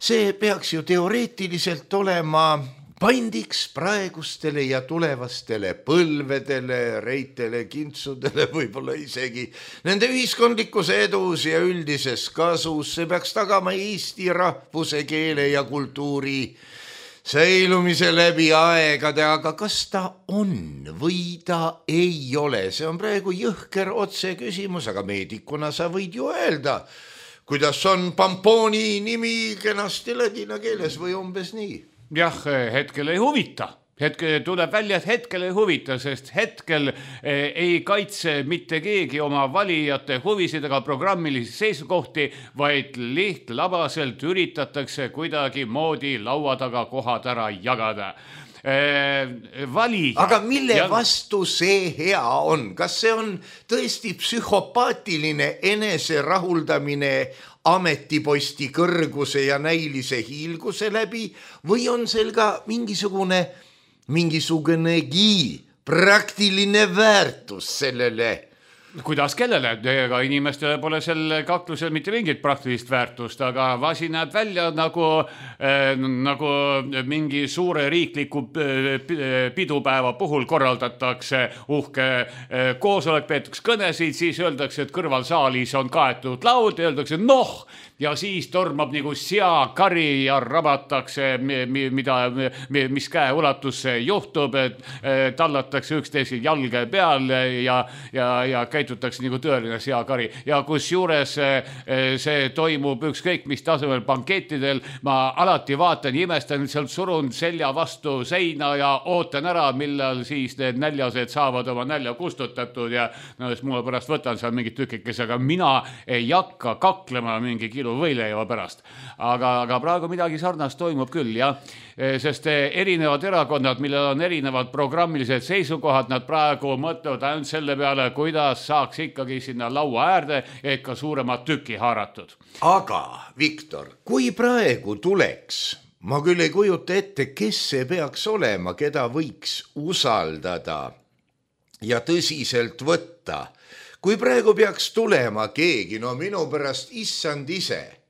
see peaks ju teoreetiliselt olema pandiks praegustele ja tulevastele põlvedele, reitele, kintsudele, võib-olla isegi nende ühiskondlikus edus ja üldises kasus. See peaks tagama Eesti rahvuse, keele ja kultuuri säilumise läbi aegade, aga kas ta on või ta ei ole? See on praegu jõhker otse küsimus, aga meedikuna sa võid ju öelda, kuidas on Pampooni nimi kenasti ladina keeles või umbes nii. Jah, hetkel ei huvita. Tuleb välja, et hetkel ei huvita, sest hetkel ei kaitse mitte keegi oma valijate huvisid ega programmilisi seisukohti, vaid lihtlabaselt üritatakse kuidagi moodi laua taga kohad ära jagada. Valija. Aga mille vastu see hea on? Kas see on tõesti psühhopaatiline eneserahuldamine ametiposti kõrguse ja näilise hiilguse läbi või on seal ka mingisugunegi praktiline väärtus sellele? Kuidas kellele? Ega inimestele pole sel kaklusel mitte mingit praktilist väärtust, aga asi näeb välja nagu mingi suure riikliku pidupäeva puhul korraldatakse uhke koosolek, peetakse kõnesid, siis öeldakse, et kõrvalsaalis on kaetud laud ja öeldakse ja siis tormab nagu seakari ja rabatakse, mis käe ulatusse juhtub, et tallatakse üksteise jalge peal ja käitutakse nagu tõeline seakari. Ja kus juures see toimub ükskõik mis tasemel banketidel, ma alati vaatan ja imestan, sealt surun selja vastu seina ja ootan ära, millal siis need näljased saavad oma nälja kustutatud ja mulle pärast võtan seal mingid tükikes, aga mina ei hakka kaklema mingi kilu võileiva pärast. Aga praegu midagi sarnast toimub küll, jah. Sest erinevad erakonnad, millel on erinevad programmilised seisukohad, nad praegu mõtlevad ainult selle peale, kuidas saaks ikkagi sinna laua äärde ka suuremad tüki haaratud. Aga, Viktor, kui praegu tuleks, ma küll ei kujuta ette, kes see peaks olema, keda võiks usaldada ja tõsiselt võtta. Kui praegu peaks tulema keegi, minu pärast issand ise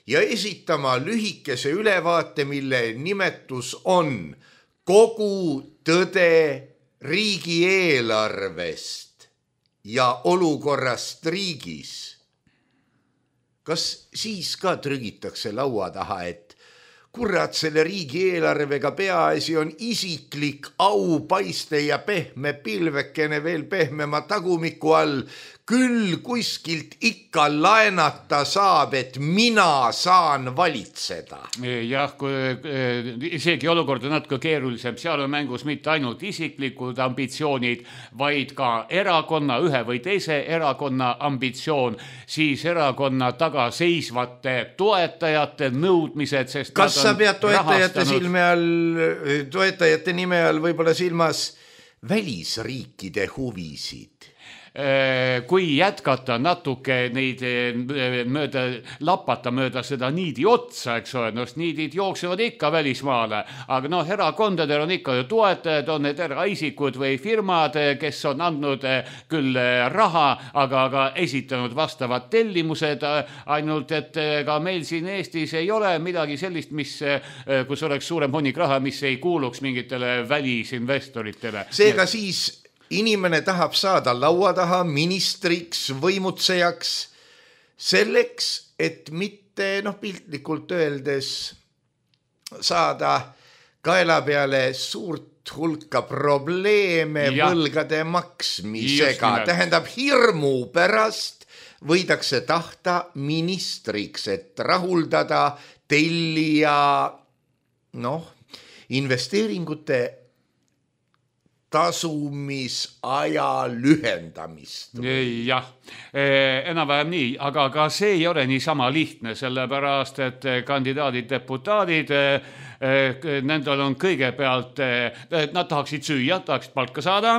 ja esitama lühikese ülevaate, mille nimetus on kogu tõde riigieelarvest ja olukorrast riigis, kas siis ka trügitakse laua taha, et kurat, selle riigieelarvega peaasi on isiklik aupaiste ja pehme pilvekene veel pehmema tagumiku all, küll kuskilt ikka laenata saab, et mina saan valitseda. Jah, isegi olukord on natuke keerulisem, seal on mängus mitte ainult isiklikud ambitsioonid, vaid ka erakonna, ühe või teise erakonna ambitsioon, siis erakonna taga seisvate toetajate nõudmised, sest kas sa pead toetajate nime all võib-olla silmas välisriikide huvisid? Kui jätkata natuke neid lapata mööda seda niidi otsa, eks ole, niidid jooksevad ikka välismaale, aga erakondadel on ikka ju toetajad, on need eraisikud või firmad, kes on andnud küll raha, aga esitanud vastavad tellimused, ainult et ka meil siin Eestis ei ole midagi sellist, kus oleks suurem hunnik raha, mis ei kuuluks mingitele välisinvestoritele. Seega siis inimene tahab saada laua taha ministriks, võimutsejaks selleks, et mitte piltlikult öeldes saada kaela peale suurt hulka probleeme võlgade maksmisega. Tähendab, hirmu pärast võidakse tahta ministriks, et rahuldada tellija investeeringute tasumisaja lühendamist. Jah, enam-vähem nii, aga ka see ei ole niisama lihtne, sellepärast, et kandidaadid, deputaadid, nendel on kõigepealt, nad tahaksid süüa, tahaksid palka saada,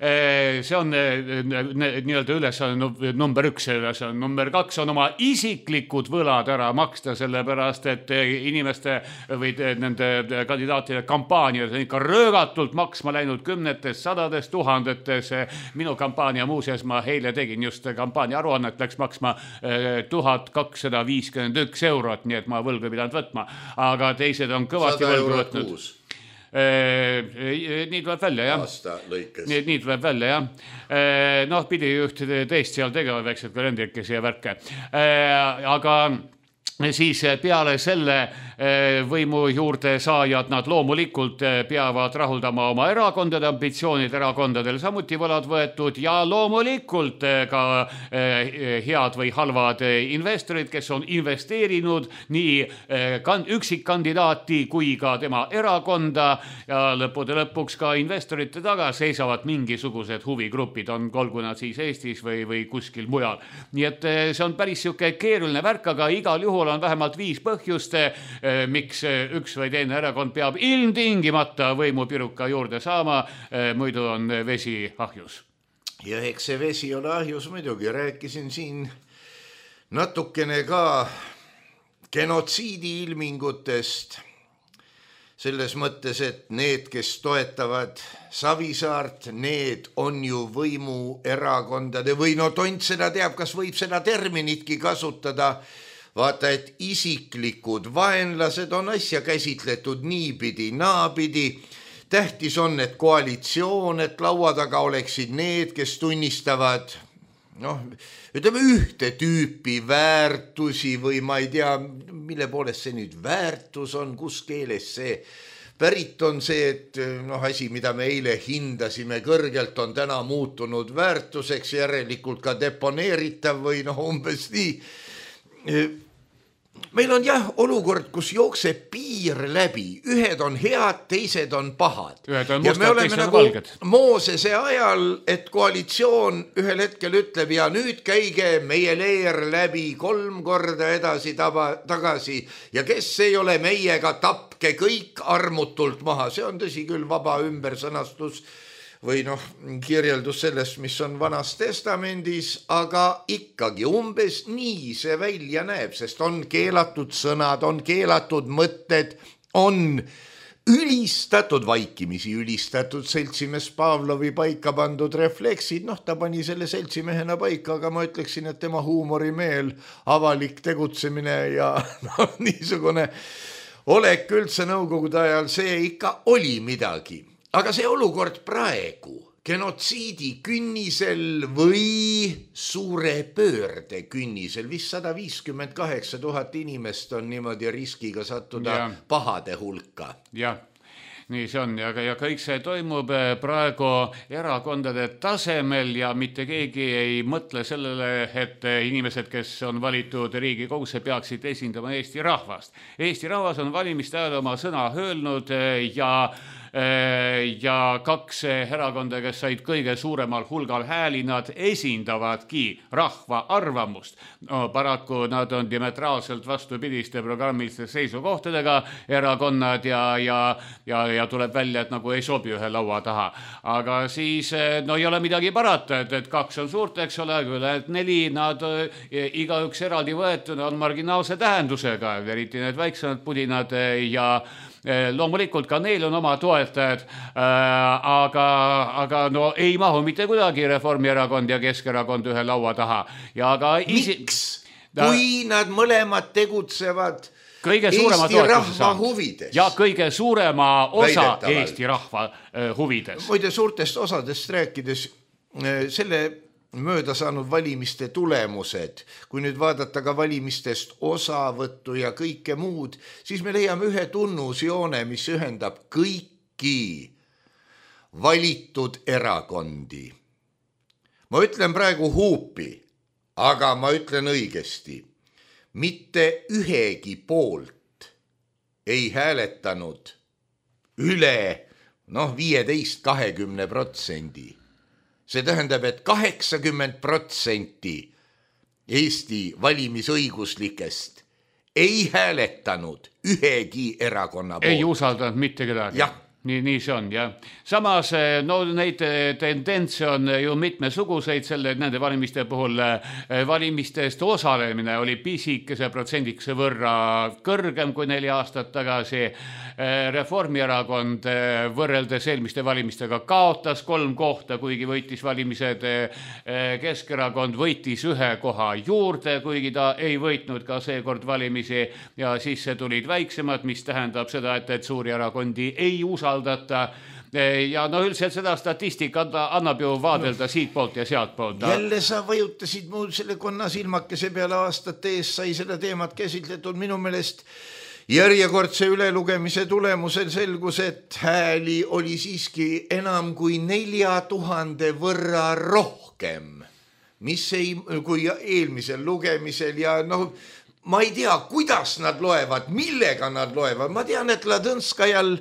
see on nii-öelda ülesanne number 1, number 2 on oma isiklikud võlad ära maksta, sellepärast, et inimeste või nende kandidaatide kampaaniad on ikka röögatult maksma läinud kümnetes, sadades, tuhandetes. Minu kampaania muuseas, ma eile tegin just kampaania aruannet, läks maksma 1251 eurot, nii et ma võlgu pidanud võtma, aga teised on kõvasti võlgu võtnud. Nii tuleb välja, jah. Aasta lõikes. Nii tuleb välja, jah. Pidi üht teist seal tegema väiksed kalendrikesi ja värke. Aga siis peale selle võimu juurde saajad, nad loomulikult peavad rahuldama oma erakondade ambitsioonid, erakondadel samuti võlad võetud ja loomulikult ka head või halvad investorid, kes on investeerinud nii üksikkandidaati kui ka tema erakonda ja lõppude lõpuks ka investorite taga seisavad mingisugused huvigrupid, olgu nad siis Eestis või kuskil mujal. Nii et see on päris siuke keeruline värk, aga igal juhul on vähemalt 5 põhjust, miks üks või teine erakond peab ilmtingimata võimupiruka juurde saama, muidu on vesi ahjus. Ja eks see vesi on ahjus muidugi, rääkisin siin natukene ka genotsiidi ilmingutest, selles mõttes, et need, kes toetavad Savisaart, need on ju võimuerakondade või Tont seda teab, kas võib seda terminitki kasutada. Vaata, et isiklikud vaenlased on asja käsitletud niipidi, naapidi. Tähtis on, et koalitsioon, et laua taga oleksid need, kes tunnistavad ütleme ühte tüüpi väärtusi või ma ei tea, mille poolest see nüüd väärtus on, kus keeles see pärit on see, et asi, mida me eile hindasime kõrgelt, on täna muutunud väärtuseks, järelikult ka deponeeritav või umbes nii. Meil on jah olukord, kus jookseb piir läbi, ühed on head, teised on pahad. Ühed on mustad, teised on valged. Moosese ajal, et koalitsioon ühel hetkel ütleb ja nüüd käige meie leer läbi 3 korda edasi tagasi ja kes ei ole meiega, tapke kõik armutult maha. See on tõsi küll vaba ümbersõnastus või kirjeldus sellest, mis on Vanas Testamendis, aga ikkagi umbes nii see välja näeb, sest on keelatud sõnad, on keelatud mõtted, on ülistatud vaikimisi, ülistatud seltsimees Pavlovi paika pandud refleksid. Ta pani selle seltsimehena paika, aga ma ütleksin, et tema huumorimeel, avalik tegutsemine ja niisugune olek üldse nõukogude ajal, see ikka oli midagi. Aga see olukord praegu, genotsiidi künnisel või suure pöörde künnisel. Vist 158 000 inimest on niimoodi riskiga sattuda pahade hulka. Jah. Nii see on ja kõik see toimub praegu erakondade tasemel ja mitte keegi ei mõtle sellele, et inimesed, kes on valitud Riigikogusse, peaksid esindama Eesti rahvast. Eesti rahvas on valimiste ajal oma sõna öelnud ja kaks erakonda, kes said kõige suuremal hulgal hääli, nad esindavadki rahva arvamust. No, paraku nad on diametraalselt vastupidiste programmiliste seisukohtadega erakonnad ja tuleb välja, et nagu ei sobi ühe laua taha. Aga siis no ei ole midagi parata, et kaks on suurt, eks ole, et 4, nad igaüks eraldi võetuna on marginaalse tähendusega, eriti need väiksemad pudinad ja loomulikult ka neil on oma toetajad, aga no ei mahu mitte kuidagi Reformierakond ja Keskerakond ühe laua taha. Miks? Kui nad mõlemad tegutsevad kõige Eesti rahva huvides. Ja kõige suurema osa Eesti rahva huvides. Muide suurtest osadest rääkides selle mööda saanud valimiste tulemused, kui nüüd vaadata ka valimistest osavõttu ja kõike muud, siis me leiame ühe tunnusjoone, mis ühendab kõiki valitud erakondi. Ma ütlen praegu huupi, aga ma ütlen õigesti. Mitte ühegi poolt ei hääletanud üle 15-20%. See tähendab, et 80% Eesti valimisõiguslikest ei hääletanud ühegi erakonna poolt. Ei usaldanud mitte kedagi. Jah. Nii see on, jah. Samas, neid tendentse on ju mitmesuguseid nende valimiste puhul. Valimistest osalemine oli pisikese protsendikese võrra kõrgem kui 4 aastat tagasi. Reformierakond võrreldes eelmiste valimistega kaotas 3 kohta, kuigi võitis valimised. Keskerakond võitis 1 koha juurde, kuigi ta ei võitnud ka seekord valimisi ja siis tulid väiksemad, mis tähendab seda, et suuri erakondi ei usaldata. Ja üldiselt seda statistikat annab ju vaadelda siit poolt ja sealt poolt. Jälle sa vajutasid muu selle konna silmakese peale aastate ees sai seda teemat käsitletud minu meelest. Järjekordse ülelugemise tulemusel selgus, et hääli oli siiski enam kui 4000 võrra rohkem, mis kui eelmisel lugemisel ja ma ei tea, kuidas nad loevad, millega nad loevad. Ma tean, et Ladõnskajal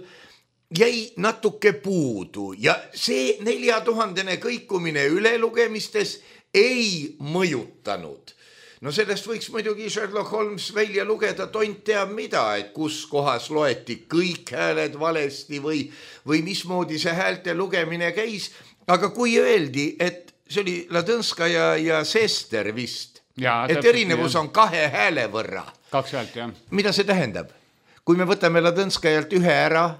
jäi natuke puudu ja see 4000 kõikumine ülelugemistes ei mõjutanud. No sellest võiks muidugi Sherlock Holmes välja lugeda, tont teab mida, et kus kohas loeti kõik hääled valesti või mismoodi see häälte lugemine käis. Aga kui öeldi, et see oli Ladõnskaja ja Sester vist, et erinevus on 2 hääle võrra. 2 häält, jah. Mida see tähendab? Kui me võtame Ladõnskajalt 1 ära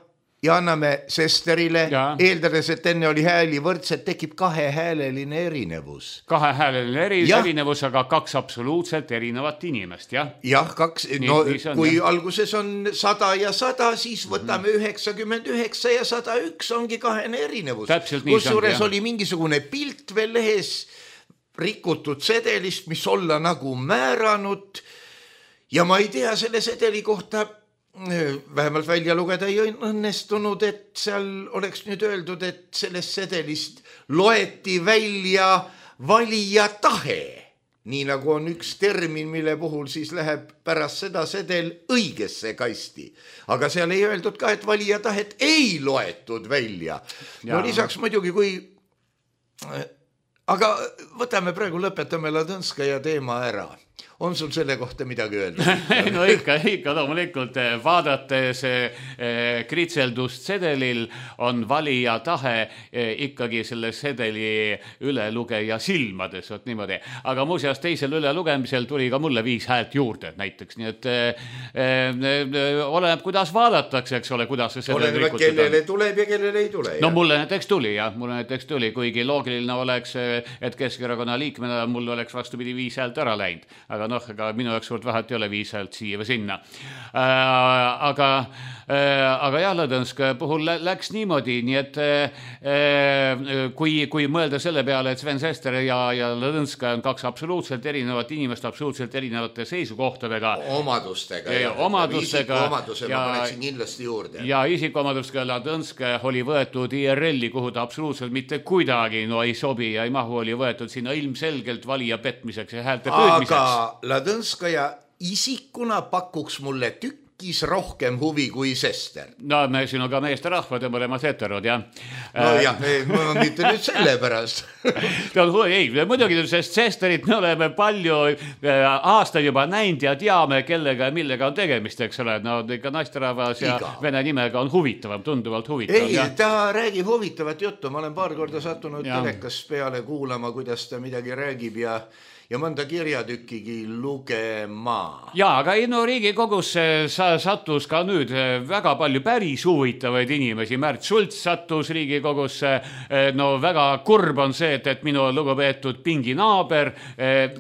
ja anname Sesterile, eeldades, et enne oli hääli võrdselt, tekib 2-hääleline erinevus. 2-hääleline erinevus, aga 2 absoluutselt erinevat inimest, jah? Jah, 2. Kui alguses on 100 ja 100, siis võtame 99 ja 101 ongi 2 erinevus. Kusjuures oli mingisugune pilt veel lehes rikutud sedelist, mis olla nagu määranud ja ma ei tea selle sedeli kohta vähemalt välja lugeda ei õnnestunud, et seal oleks nüüd öeldud, et sellest sedelist loeti välja valija tahe. Nii nagu on üks termin, mille puhul siis läheb pärast seda sedel õigesse kasti. Aga seal ei öeldud ka, et valija tahet ei loetud välja. No lisaks muidugi, kui... Aga võtame praegu, lõpetame Ladõnskaja teema ära. On sul selle kohta midagi öelda? No ikka loomulikult vaadates kritseldust sedelil on valija tahe ikkagi selle sedeli ülelugeja silmades, niimoodi. Aga muuseas teisel ülelugemisel tuli ka mulle 5 häält juurde näiteks, nii et oleneb, kuidas vaadatakse, eks ole, kuidas see sedel rikutud on. Kellele tuleb ja kellele ei tule. No mulle näiteks tuli, kuigi loogiline oleks, et Keskerakonna liikmena mul oleks vastupidi 5 häält ära läinud. aga noh, ega minu jaoks suurt vahet ei ole 5 häält siia või sinna. Aga jah, Lõdõnsk puhul läks niimoodi, nii et kui mõelda selle peale, et Sven Sester ja Lõdõnsk on 2 absoluutselt erinevat inimest absoluutselt erinevate seisukohtadega. Omadustega. Isikuomaduse ma paneksin kindlasti juurde. Ja isikuomadustega Lõdõnsk oli võetud IRL-i, kuhu ta absoluutselt mitte kuidagi ei sobi ja ei mahu, oli võetud sinna ilmselgelt valija petmiseks ja häälte püüdmiseks. Aga Lõdõnskaja isikuna pakuks mulle rohkem huvi kui Sester. No me sinuga meesterahvad ja mõlemad heterod, jah. No jah, ma mitte nüüd selle pärast. Ei, muidugi, sest Sesterit me oleme palju aastaid juba näinud ja teame, kellega ja millega on tegemist, eks ole. No ikka naisterahvas ja vene nimega on huvitavam, tunduvalt huvitavam. Ei, ta räägib huvitavat juttu. Ma olen paar korda sattunud telekas peale kuulama, kuidas ta midagi räägib ja mõnda kirjatükkigi lugema. Jaa, aga Riigikogus sattus ka nüüd väga palju päris huvitavaid inimesi. Märt Sults sattus Riigikogusse. No väga kurb on see, et minu lugupeetud pinginaaber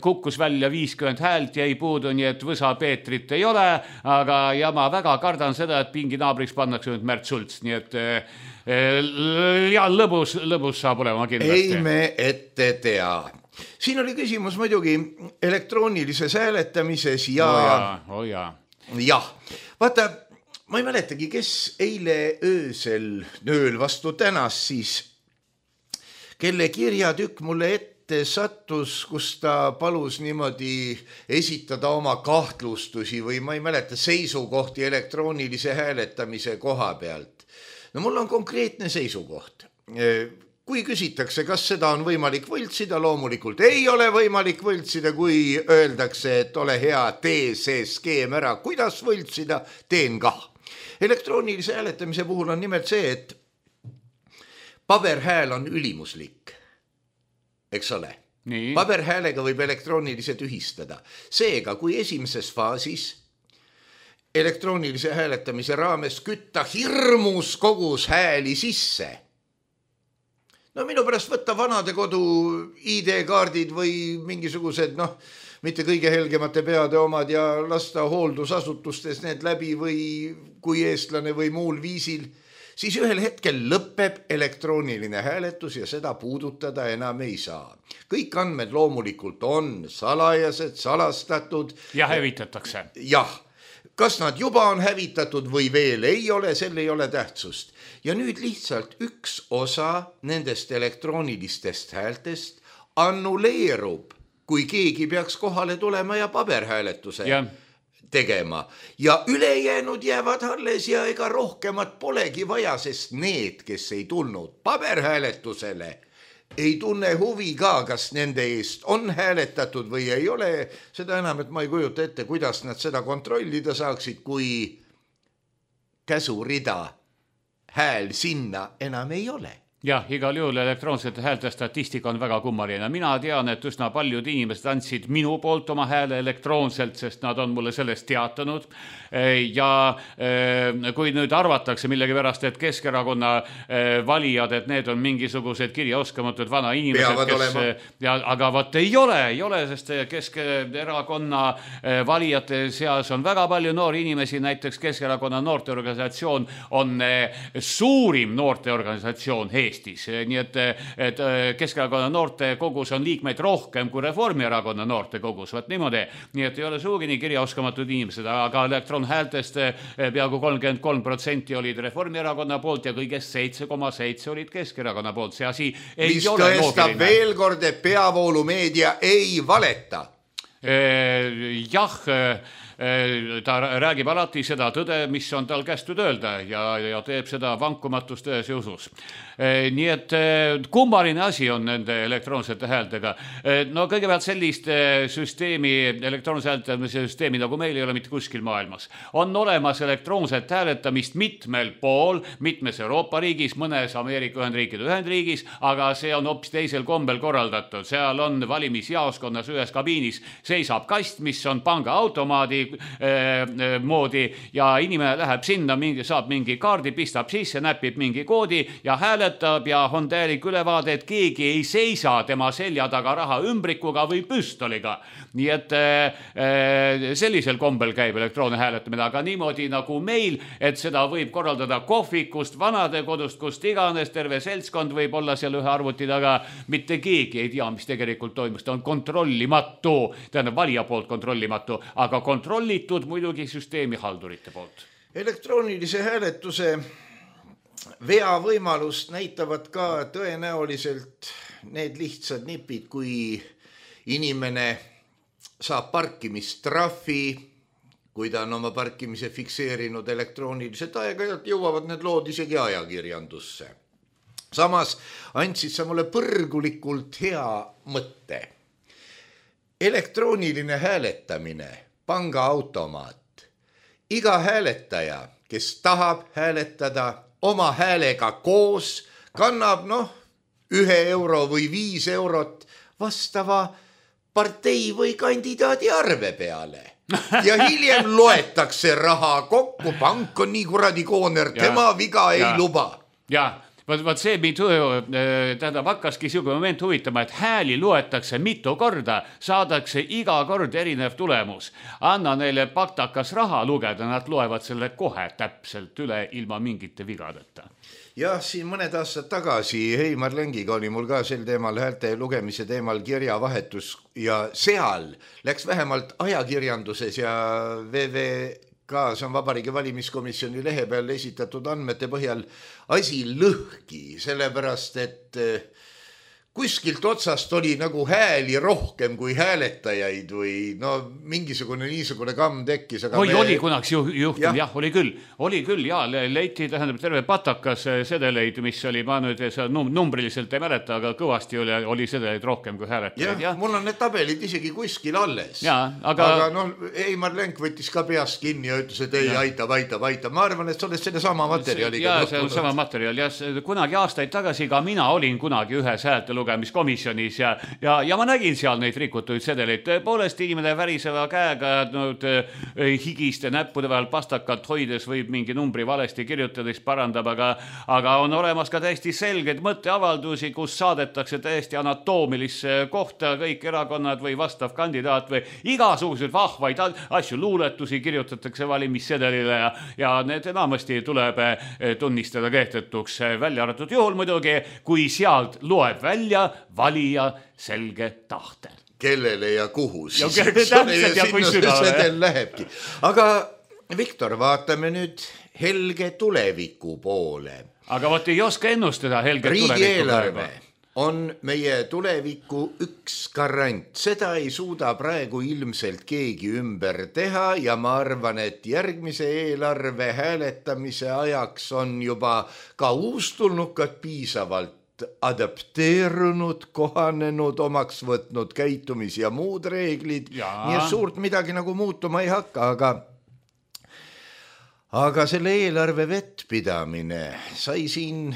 kukkus välja 50 häält, jäi puudu, nii et Võsa Peetrit ei ole, aga ja ma väga kardan seda, et pinginaabriks pannakse nüüd Märt Sults, nii et ja lõbus saab olema kindlasti. Ei me ette tea. Siin oli küsimus muidugi elektroonilises hääletamises ja... Jah, vaata, ma ei mäletagi, kes eile ööl vastu tänas siis, kelle kirjatükk mulle ette sattus, kus ta palus niimoodi esitada oma kahtlustusi või ma ei mäleta seisukohti elektroonilise hääletamise koha pealt. No mul on konkreetne seisukoht. Kui küsitakse, kas seda on võimalik võltsida, loomulikult ei ole võimalik võltsida, kui öeldakse, et ole hea, tee see skeem ära, kuidas võltsida, teen kah. Elektroonilise hääletamise puhul on nimelt see, et paberhääl on ülimuslik, eks ole. Nii. Paberhäälega võib elektroonilise tühistada. Seega, kui esimeses faasis elektroonilise hääletamise raames kütta hirmus kogus hääli sisse, no minu pärast võtta vanade kodu ID-kaardid või mingisugused, mitte kõige helgemate peade omad ja lasta hooldusasutustes need läbi või kui eestlane või muul viisil, siis ühel hetkel lõpeb elektrooniline hääletus ja seda puudutada enam ei saa. Kõik andmed loomulikult on salajased, salastatud. Ja hävitatakse. Jah. Kas nad juba on hävitatud või veel ei ole, sel ei ole tähtsust. Ja nüüd lihtsalt üks osa nendest elektroonilistest häältest annuleerub, kui keegi peaks kohale tulema ja paberhääletuse tegema. Ja ülejäänud jäävad alles ja ega rohkemat polegi vaja, sest need, kes ei tulnud paberhääletusele, ei tunne huvi ka, kas nende eest on hääletatud või ei ole. Seda enam, et ma ei kujuta ette, kuidas nad seda kontrollida saaksid, kui käsurida hääl sinna enam ei ole. Jah, igal juhul elektroonsete häälte statistika on väga kummaline. Mina tean, et üsna paljud inimesed andsid minu poolt oma hääle elektroonselt, sest nad on mulle sellest teatanud. Ja kui nüüd arvatakse millegi pärast, et Keskerakonna valijad, et need on mingisugused kirjaoskamatud vana inimesed, aga vaat ei ole, sest Keskerakonna valijate seas on väga palju noori inimesi, näiteks Keskerakonna noorteorganisatsioon on suurim noorteorganisatsioon Eestis, nii et Keskerakonna noortekogus on liikmeid rohkem kui Reformierakonna noortekogus, vaat niimoodi, nii et ei ole suugi nii kirjaoskamatud inimesed, aga elektronhäältest peaaegu 33% olid Reformierakonna poolt ja kõigest 7,7 olid Keskerakonna poolt, see asi ei mis ole tõestab loogiline. Veel kord, et peavoolumeedia ei valeta. Jah, ta räägib alati seda tõde, mis on tal kästud öelda ja teeb seda vankumatust tões ja usus. Nii et kummaline asi on nende elektroonsete häältega. No kõigepealt sellist süsteemi, elektroonse hääletamise süsteemi, nagu meil ei ole mitte kuskil maailmas. On olemas elektroonset hääletamist mitmel pool, mitmes Euroopa riigis, mõnes Ameerika Ühendriigis, aga see on hoopis teisel kombel korraldatud. Seal on valimisjaoskonnas ühes kabiinis seisab kast, mis on pangaautomaadi moodi ja inimene läheb sinna, saab mingi kaardi, pistab sisse, näpib mingi koodi ja hääletab ja on täielik ülevaade, et keegi ei seisa tema selja taga raha ümbrikuga või püstoliga. Nii et sellisel kombel käib elektroonne hääletamine, aga niimoodi nagu meil, et seda võib korraldada kohvikust, vanadekodust, kust iganes, terve seltskond võib olla seal ühe arvuti taga, mitte keegi ei tea, mis tegelikult toimus, ta on kontrollimatu, tähendab valija poolt kontrollimatu, aga kontrollitud muidugi süsteemi haldurite poolt. Elektroonilise hääletuse veavõimalust näitavad ka tõenäoliselt need lihtsad nipid, kui inimene saab parkimistrahvi, kui ta on oma parkimise fikseerinud elektrooniliselt, aeg-ajalt jõuavad need lood isegi ajakirjandusse. Samas andsid sa mulle põrgulikult hea mõtte. Elektrooniline hääletamine, pangaautomaat. Iga hääletaja, kes tahab hääletada oma häälega koos, kannab 1 euro või 5 eurot vastava partei või kandidaadi arve peale. Ja hiljem loetakse raha kokku, pank on nii kuradi kooner, tema viga ei luba. Ja, vaat see tähendab hakkaski siuke moment huvitama, et hääli loetakse mitu korda, saadakse iga kord erinev tulemus. Anna neile paktakas raha lugeda, nad loevad selle kohe täpselt üle ilma mingite vigadeta. Jah, siin mõned aastad tagasi Heimar Lengiga oli mul ka sel teemal häälte lugemise teemal kirjavahetus ja seal läks vähemalt ajakirjanduses ja VVK, see on Vabariigi Valimiskomisjoni lehe peal esitatud andmete põhjal asi lõhki, sellepärast et kuskilt otsast oli nagu hääli rohkem kui hääletajaid või mingisugune niisugune kamm tekkis. Oli kunagi juhtum, jah, oli küll, ja leiti, tähendab terve patakas sedeleid, mis oli, ma nüüd numbriliselt ei mäleta, aga kõvasti oli sedeleid rohkem kui hääletajaid. Jah, mul on need tabelid isegi kuskil alles. Aga Heimar Lenk võttis ka peast kinni ja ütles, et ei, aitab. Ma arvan, et sa oled selle sama materjaliga. Ja, see on sama materjal. Kunagi aastaid tagasi ka mina olin kunagi ühes häälte lugemiskomisjonis ja ma nägin seal neid rikutuid sedeleid. Tõepoolest inimene väriseva käega higiste näppude vahel pastakat hoides võib mingi numbri valesti kirjutades parandab, aga on olemas ka täiesti selged mõtteavaldusi, kus saadetakse täiesti anatoomilisse kohta kõik erakonnad või vastav kandidaat või igasuguseid vahvaid asju, luuletusi kirjutatakse valimissedelile ja need enamasti tuleb tunnistada kehtetuks, välja arvatud juhul muidugi, kui sealt loeb välja valija selge tahtel. Kellele ja kuhu siis. Täpselt ja kui sügavale. Lähebki. Aga Viktor, vaatame nüüd helge tuleviku poole. Aga võt ei oska ennustada helge tuleviku riigieelarve on meie tuleviku üks garant. Seda ei suuda praegu ilmselt keegi ümber teha ja ma arvan, et järgmise eelarve hääletamise ajaks on juba ka uustulnukad piisavalt adapteerunud, kohanenud, omaks võtnud käitumis ja muud reeglid. Nii et suurt midagi nagu muutuma ei hakka, aga selle eelarve vettpidamine sai siin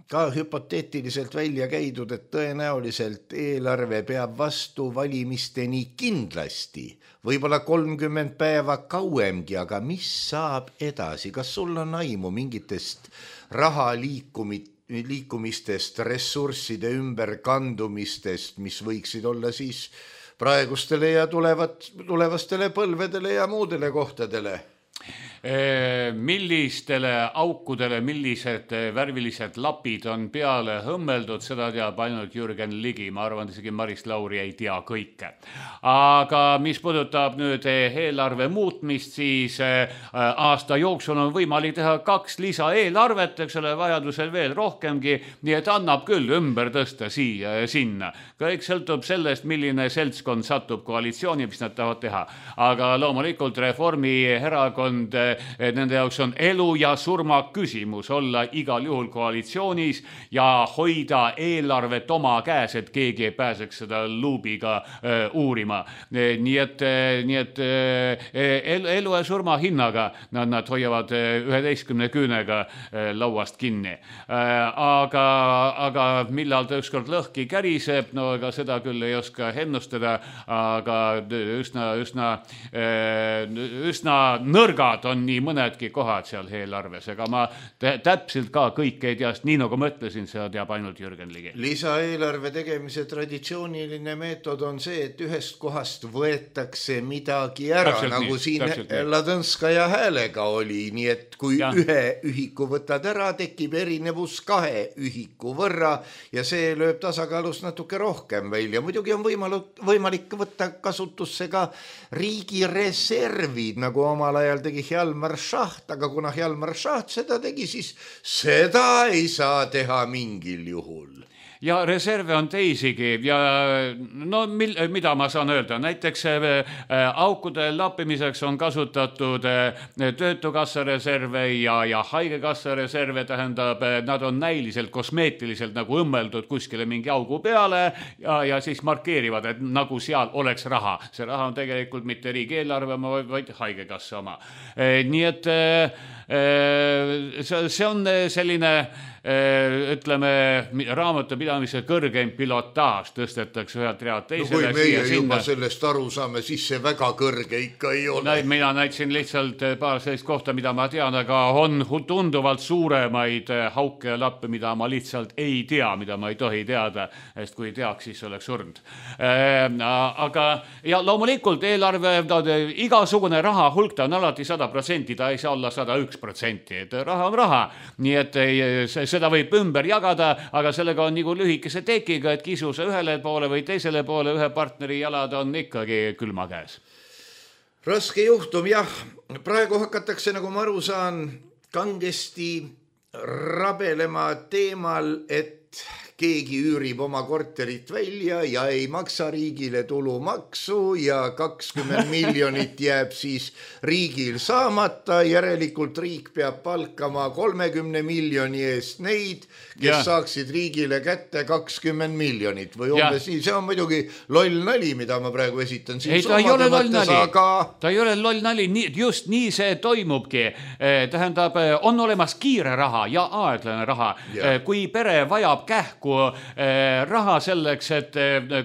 ka hüpoteetiliselt välja käidud, et tõenäoliselt eelarve peab vastu valimisteni kindlasti, võib-olla 30 päeva kauemgi, aga mis saab edasi? Kas sul on aimu mingitest raha liikumistest, ressursside ümberkandumistest, mis võiksid olla siis praegustele ja tulevastele põlvedele ja muudele kohtadele? Millistele aukudele, millised värvilised lapid on peale hõmmeldud, seda teab ainult Jürgen Ligi, ma arvan, isegi Maris Lauri ei tea kõike. Aga mis puudutab nüüd eelarve muutmist, siis aasta jooksul on võimalik teha 2 lisaeelarvet, eks ole, vajadusel veel rohkemgi, nii et annab küll ümber tõsta siia ja sinna. Kõik sõltub sellest, milline seltskond satub koalitsiooni, mis nad tahavad teha. Aga loomulikult Reformierakond nende jaoks on elu ja surma küsimus olla igal juhul koalitsioonis ja hoida eelarvet oma käes, et keegi ei pääseks seda luubiga uurima. Nii et elu ja surma hinnaga nad hoiavad 11 küünega lauast kinni. Aga millal ta ükskord lõhki käriseb, no ega seda küll ei oska ennustada, aga üsna nõrgad on nii mõnedki kohad seal eelarves, ega ma täpselt ka kõik ei tea, nii nagu ma ütlesin, seda teab ainult Jürgen Ligi. Lisaeelarve tegemise traditsiooniline meetod on see, et ühest kohast võetakse midagi ära, nagu siin Ladõnskaja häälega oli, nii et kui ühe ühiku võtad ära, tekib erinevus 2 ühiku võrra ja see lööb tasakaalus natuke rohkem välja. Muidugi on võimalik võtta kasutusse ka riigi reservid, nagu omal ajal tegi Hjalmar Schacht, aga kuna Hjalmar Schacht seda tegi, siis seda ei saa teha mingil juhul. Ja reserve on teisigi ja no mida ma saan öelda, näiteks aukude lappimiseks on kasutatud töötukassa reserve ja haigekassa reserve, tähendab, nad on näiliselt kosmeetiliselt nagu õmmeldud kuskile mingi augu peale ja siis markeerivad, et nagu seal oleks raha. See raha on tegelikult mitte riigieelarve, vaid haigekassa oma. Nii et see on selline ütleme, raamatupidamise kõrgeim pilotaaž tõstetakse ühelt realt teisele. No kui meie juba sellest aru saame, siis see väga kõrge ikka ei ole. Mina näitasin lihtsalt paar sellist kohta, mida ma tean, aga on tunduvalt suuremaid hauke ja lappe, mida ma lihtsalt ei tea, mida ma ei tohi teada, sest kui teaks, siis oleks surnud. Aga ja loomulikult eelarve, igasugune raha hulk, ta on alati 100%, ta ei saa olla 101%, et raha on raha, nii et seda võib ümber jagada, aga sellega on nagu lühikese tekiga, et kisuse ühele poole või teisele poole ühe partneri jalad on ikkagi külma käes. Raske juhtum, jah. Praegu hakatakse, nagu ma aru saan, kangesti rabelema teemal, et keegi üürib oma korterit välja ja ei maksa riigile tulumaksu ja 20 miljonit jääb siis riigil saamata. Järelikult riik peab palkama 30 miljoni eest neid, kes saaksid riigile kätte 20 miljonit või umbes nii. See on muidugi loll nali, mida ma praegu esitan siin. Ei, ta ei ole loll nali. Ta ei ole loll nali. Just nii see toimubki. Tähendab, on olemas kiire raha ja aeglane raha. Kui pere vajab kähku raha selleks, et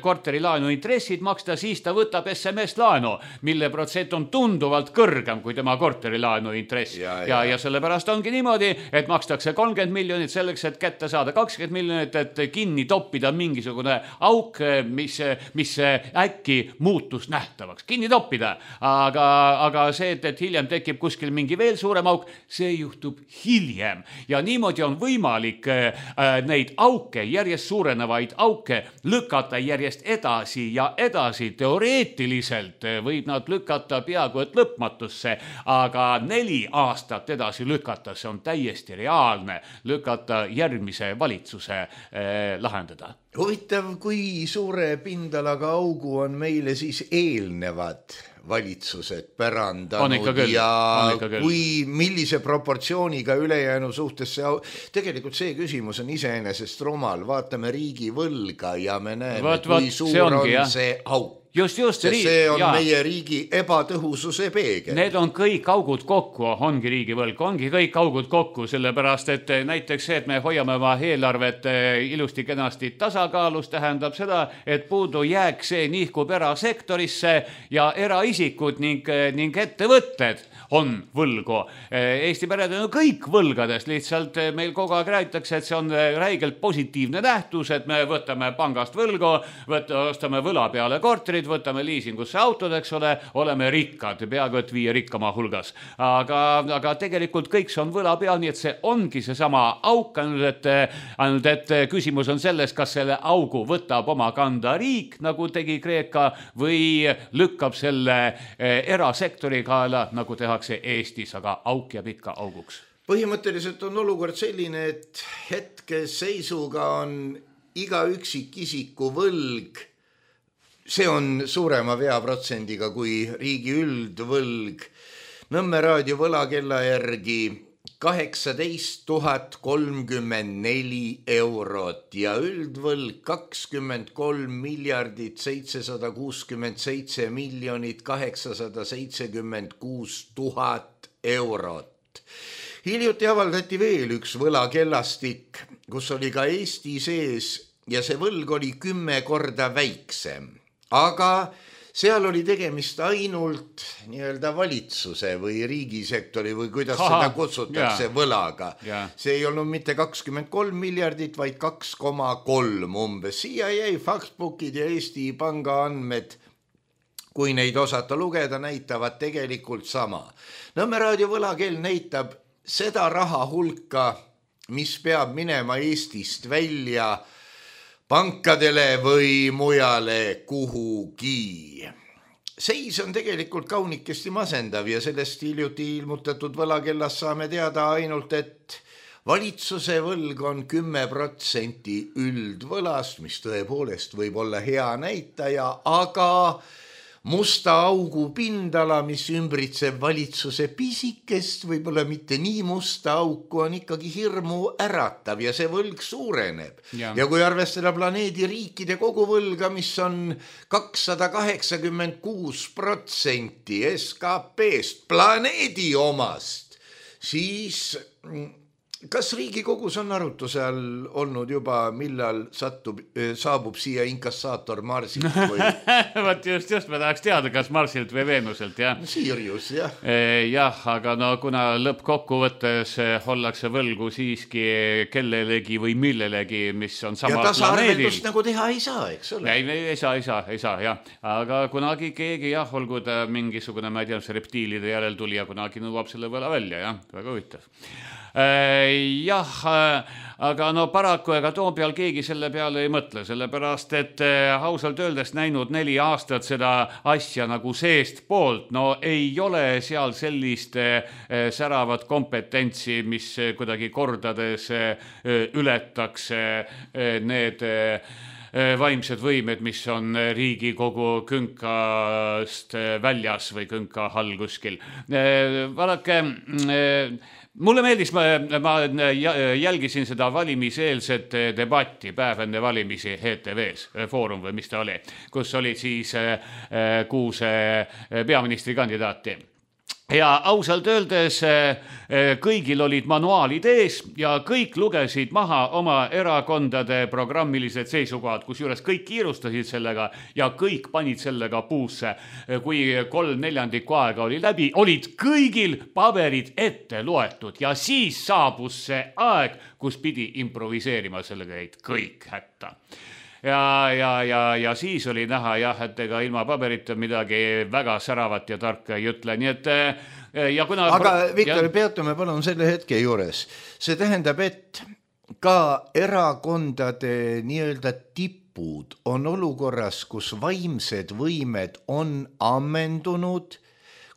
korterilaenu intressid maksta, siis ta võtab SMS-laenu, mille protsent on tunduvalt kõrgem kui tema korterilaenu intress. Ja sellepärast ongi niimoodi, et makstakse 30 miljonit selleks, et kätte saada 20 miljonit, et kinni toppida mingisugune auk, mis äkki muutus nähtavaks. Kinni toppida. Aga see, et hiljem tekib kuskil mingi veel suurem auk, see juhtub hiljem. Ja niimoodi on võimalik neid auke, järjest suurenevaid auke lükata järjest edasi ja edasi. Teoreetiliselt võib nad lükata peaaegu et lõpmatusse, aga 4 aastat edasi lükata, see on täiesti reaalne lükata järgmise valitsuse lahendada. Huvitav, kui suure pindalaga augu on meile siis eelnevad valitsused pärandanud ja kui millise proportsiooniga ülejäänu suhtes see tegelikult see küsimus on iseenesest rumal. Vaatame riigi võlga ja me näeme, kui suur on see auk. Just, see on meie riigi ebatõhususe peegel. Need on kõik augud kokku, ongi riigi võlg, ongi kõik augud kokku, sellepärast, et näiteks see, et me hoiame oma eelarvet ilusti kenasti tasakaalus, tähendab seda, et puudu jääk see nihkub erasektorisse ja eraisikud ning ettevõtted on võlgu. Eesti pered on kõik võlgadest, lihtsalt meil kogu aeg räägitakse, et see on räigelt positiivne nähtus, et me võtame pangast võlgu, ostame võla peale korterid, võtame liisingusse autod, eks ole, oleme rikkad, peaaegu et 5 rikkama hulgas. Aga tegelikult kõik see on võla peal, nii et see ongi seesama auk, ainult et küsimus on selles, kas selle augu võtab oma kanda riik, nagu tegi Kreeka, või lükkab selle erasektori kaela, nagu tehakse Eestis, aga auk jääb ikka auguks. Põhimõtteliselt on olukord selline, et hetkeseisuga on iga üksikisiku võlg, see on suurema veaprotsendiga kui riigi üldvõlg. Nõmme raadio võlakella järgi 18 034 eurot ja üldvõlg 23 767 876 000 eurot. Hiljuti avaldati veel üks võlakellastik, kus oli ka Eesti sees ja see võlg oli 10 korda väiksem. Aga seal oli tegemist ainult nii-öelda valitsuse või riigisektori või kuidas seda kutsutakse võlaga. See ei olnud mitte 23 miljardit, vaid 2,3 umbes. Siia jäi Factbookid ja Eesti Panga andmed, kui neid osata lugeda, näitavad tegelikult sama. Nõmme raadio võlakell näitab seda raha hulka, mis peab minema Eestist välja pankadele või mujale kuhugi. Seis on tegelikult kaunikesti masendav ja sellest hiljuti ilmutatud võlakellas saame teada ainult, et valitsuse võlg on 10% üldvõlast, mis tõepoolest võib olla hea näitaja, aga musta augu pindala, mis ümbritseb valitsuse pisikest, võib-olla mitte nii musta auku, on ikkagi hirmu äratav ja see võlg suureneb. Ja kui arvestada planeedi riikide koguvõlga, mis on 286% SKP-st planeedi omast, siis kas Riigikogus on arutuse all olnud juba, millal saabub siia inkassaator Marsilt või? Vaat just me tahaks teada, kas Marsilt või Veenuselt, jah? Sirius, jah. Jah, aga no kuna lõppkokkuvõttes ollakse võlgu siiski kellelegi või millelegi, mis on samal planeedil. Ja tasaarveldust nagu teha ei saa, eks ole? Ei saa, jah. Aga kunagi keegi, jah, olgu ta mingisugune, ma ei tea, see reptiilide järel tuli ja kunagi nõuab selle võla välja, jah, väga huvitav. Jah, aga no paraku ega Toompeal keegi selle peale ei mõtle, sellepärast et ausalt öeldes näinud 4 aastat seda asja nagu seest poolt, no ei ole seal sellist säravat kompetentsi, mis kuidagi kordades ületaks need vaimsed võimed, mis on Riigikogu künkast väljas või künka all kuskil. Vaadake, mulle meeldis, ma jälgisin seda valimiseelset debatti päev enne valimisi ETV-s, Foorum või mis ta oli, kus olid siis 6 peaministrikandidaati. Ja ausalt öeldes kõigil olid manuaalid ees ja kõik lugesid maha oma erakondade programmilised seisukohad, kusjuures kõik kiirustasid sellega ja kõik panid sellega puusse. Kui 3/4 aega oli läbi, olid kõigil paberid ette loetud ja siis saabus see aeg, kus pidi improviseerima sellega jäid kõik hätta. Ja siis oli näha jah, et ega ilma paberita midagi väga säravat ja tarka ei ütle, nii et ja kuna... Aga Viktor, peatume palun selle hetke juures. See tähendab, et ka erakondade nii-öelda tipud on olukorras, kus vaimsed võimed on ammendunud,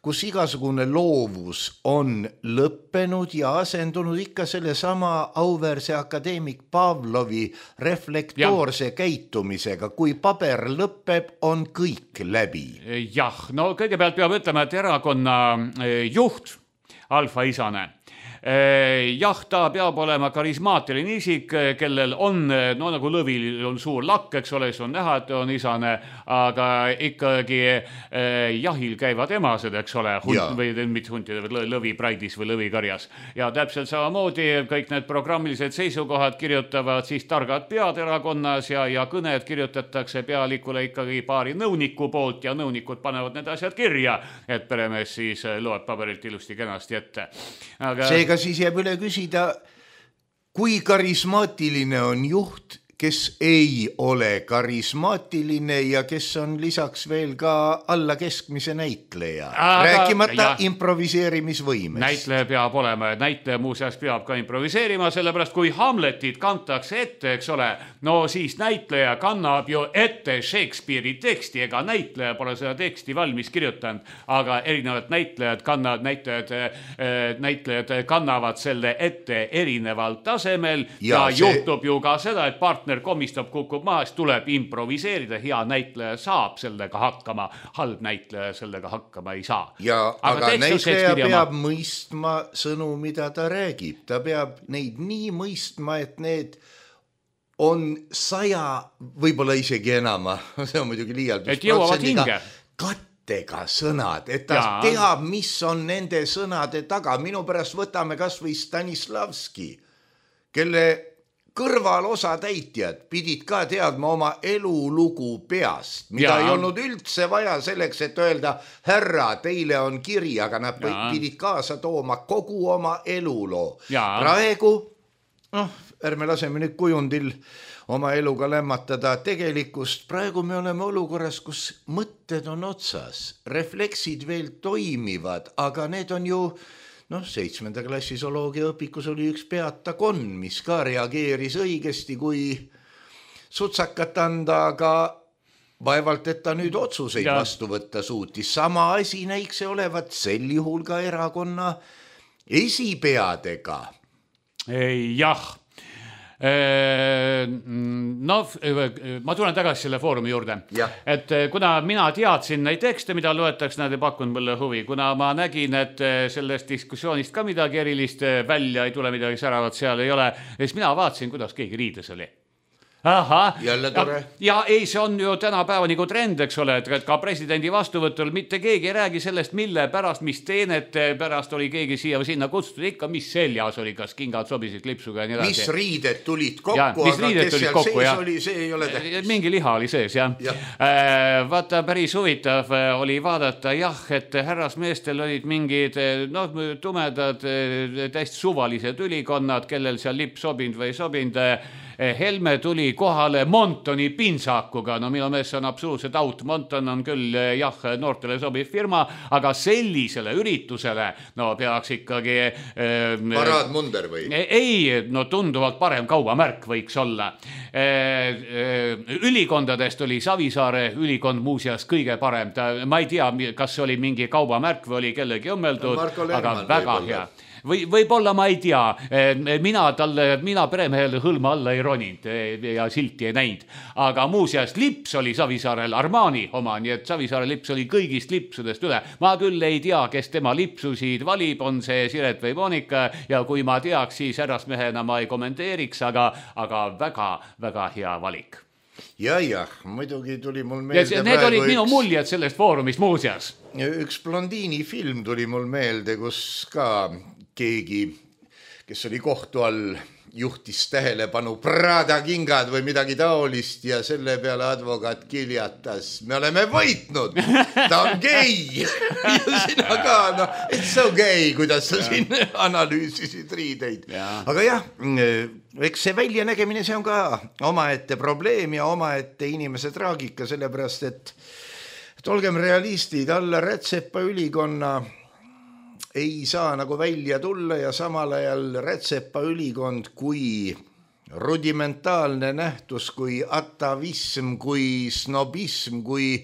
kus igasugune loovus on lõppenud ja asendunud ikka selle sama auväärse akadeemik Pavlovi reflektoorse käitumisega. Kui paber lõpeb, on kõik läbi. Jah, no kõigepealt peab ütlema, et erakonna juht, Alfa Isane, jah, ta peab olema karismaatiline isik, kellel on, no nagu lõvil on suur lakk, eks ole, see on näha, et on Isane, aga ikkagi jahil käivad emased, eks ole, või mitte huntide, lõvi praidis või lõvikarjas. Ja täpselt samamoodi kõik need programmilised seisukohad kirjutavad siis targad pead erakonnas ja kõned kirjutatakse pealikule ikkagi paari nõuniku poolt ja nõunikud panevad need asjad kirja, et peremees siis loeb paberilt ilusti kenasti ette. Aga... Seega siis jääb üle küsida, kui karismaatiline on juht, kes ei ole karismaatiline ja kes on lisaks veel ka alla keskmise näitleja. Rääkimata improviseerimisvõimest. Näitleja peab olema ja näitleja muuseas peab ka improviseerima, sellepärast kui Hamletit kantakse ette, eks ole, no siis näitleja kannab ju ette Shakespeare'i teksti, ega näitleja pole seda teksti valmis kirjutanud, aga erinevad näitlejad kannavad selle ette erineval tasemel ja juhtub ju ka seda, et partner partner komistab, kukub maas, tuleb improviseerida, hea näitleja saab sellega hakkama, halb näitleja sellega hakkama ei saa. Ja, aga näitleja peab mõistma sõnu, mida ta räägib. Ta peab neid nii mõistma, et need on 100, võib-olla isegi enama, see on muidugi liialdus, et jõuavad hinge. Kattega sõnad, et ta teab, mis on nende sõnade taga. Minu pärast võtame kas või Stanislavski, kelle kõrval osatäitjad pidid ka teadma oma elulugu peast, mida ei olnud üldse vaja selleks, et öelda, härra, teile on kiri, aga nad pidid kaasa tooma kogu oma eluloo. Praegu, ärme laseme nüüd kujundil oma eluga lämmatada tegelikkust. Praegu me oleme olukorras, kus mõtted on otsas, refleksid veel toimivad, aga need on ju, 7. klassi zooloogia õpikus oli üks peatakonn, mis ka reageeris õigesti, kui sutsakat anda, aga vaevalt, et ta nüüd otsuseid vastu võtta suutis. Sama asi näiks olevat sel juhul ka erakonna esipeadega. Jah. Ma tulen tagasi selle foorumi juurde, et kuna mina teadsin neid tekste, mida loetaks, nad ei pakkunud mulle huvi, kuna ma nägin, et sellest diskussioonist ka midagi erilist välja ei tule, midagi säravat seal ei ole, siis mina vaatasin, kuidas keegi riides oli. Jälle tore. Ja ei, see on ju tänapäeva nagu trend, eks ole, et ka presidendi vastuvõtul mitte keegi ei räägi sellest, mille pärast, mis teenete pärast oli keegi siia või sinna kutsutud, ikka mis seljas oli, kas kingad sobisid klipsuga ja nii edasi. Mis riided tulid kokku, aga kes seal sees oli, see ei ole tähtis. Mingi liha oli sees, jah. Vaata, päris huvitav oli vaadata, et härrasmeestel olid mingid tumedad, täiesti suvalised ülikonnad, kellel seal lipp sobind või sobind. Helme tuli kohale Montoni pinsakuga, minu meelest see on absoluutselt out. Monton on küll noortele sobiv firma, aga sellisele üritusele peaks ikkagi paraadmunder või? Ei, tunduvalt parem kaubamärk võiks olla. Ülikondadest oli Savisaare ülikond muuseas kõige parem. Ma ei tea, kas see oli mingi kaubamärk või oli kellegi õmmeldud, aga väga hea. Võib-olla ma ei tea, mina peremehele hõlma alla ei roninud ja silti ei näinud, aga muuseas lips oli Savisaarel Armani oma, nii et Savisaare lips oli kõigist lipsudest üle. Ma küll ei tea, kes tema lipsusid valib, on see Siret või Monika ja kui ma teaks, siis härrasmehena ma ei kommenteeriks, aga väga hea valik. Muidugi tuli mul meelde need olid minu muljed sellest foorumist muuseas. Üks blondiini film tuli mul meelde, kus ka keegi, kes oli kohtu all, juhtis tähelepanu Prada kingad või midagi taolist ja selle peale advokaat kiljatas, me oleme võitnud, ta on gei. Ja sina ka, it's so gei, kuidas sa siin analüüsisid riideid. Aga eks see väljanägemine, see on ka omaette probleem ja omaette inimese traagika, sellepärast, et olgem realistid, alla Rätsepa ülikonna ei saa nagu välja tulla ja samal ajal Rätsepa ülikond kui rudimentaalne nähtus, kui atavism, kui snobism, kui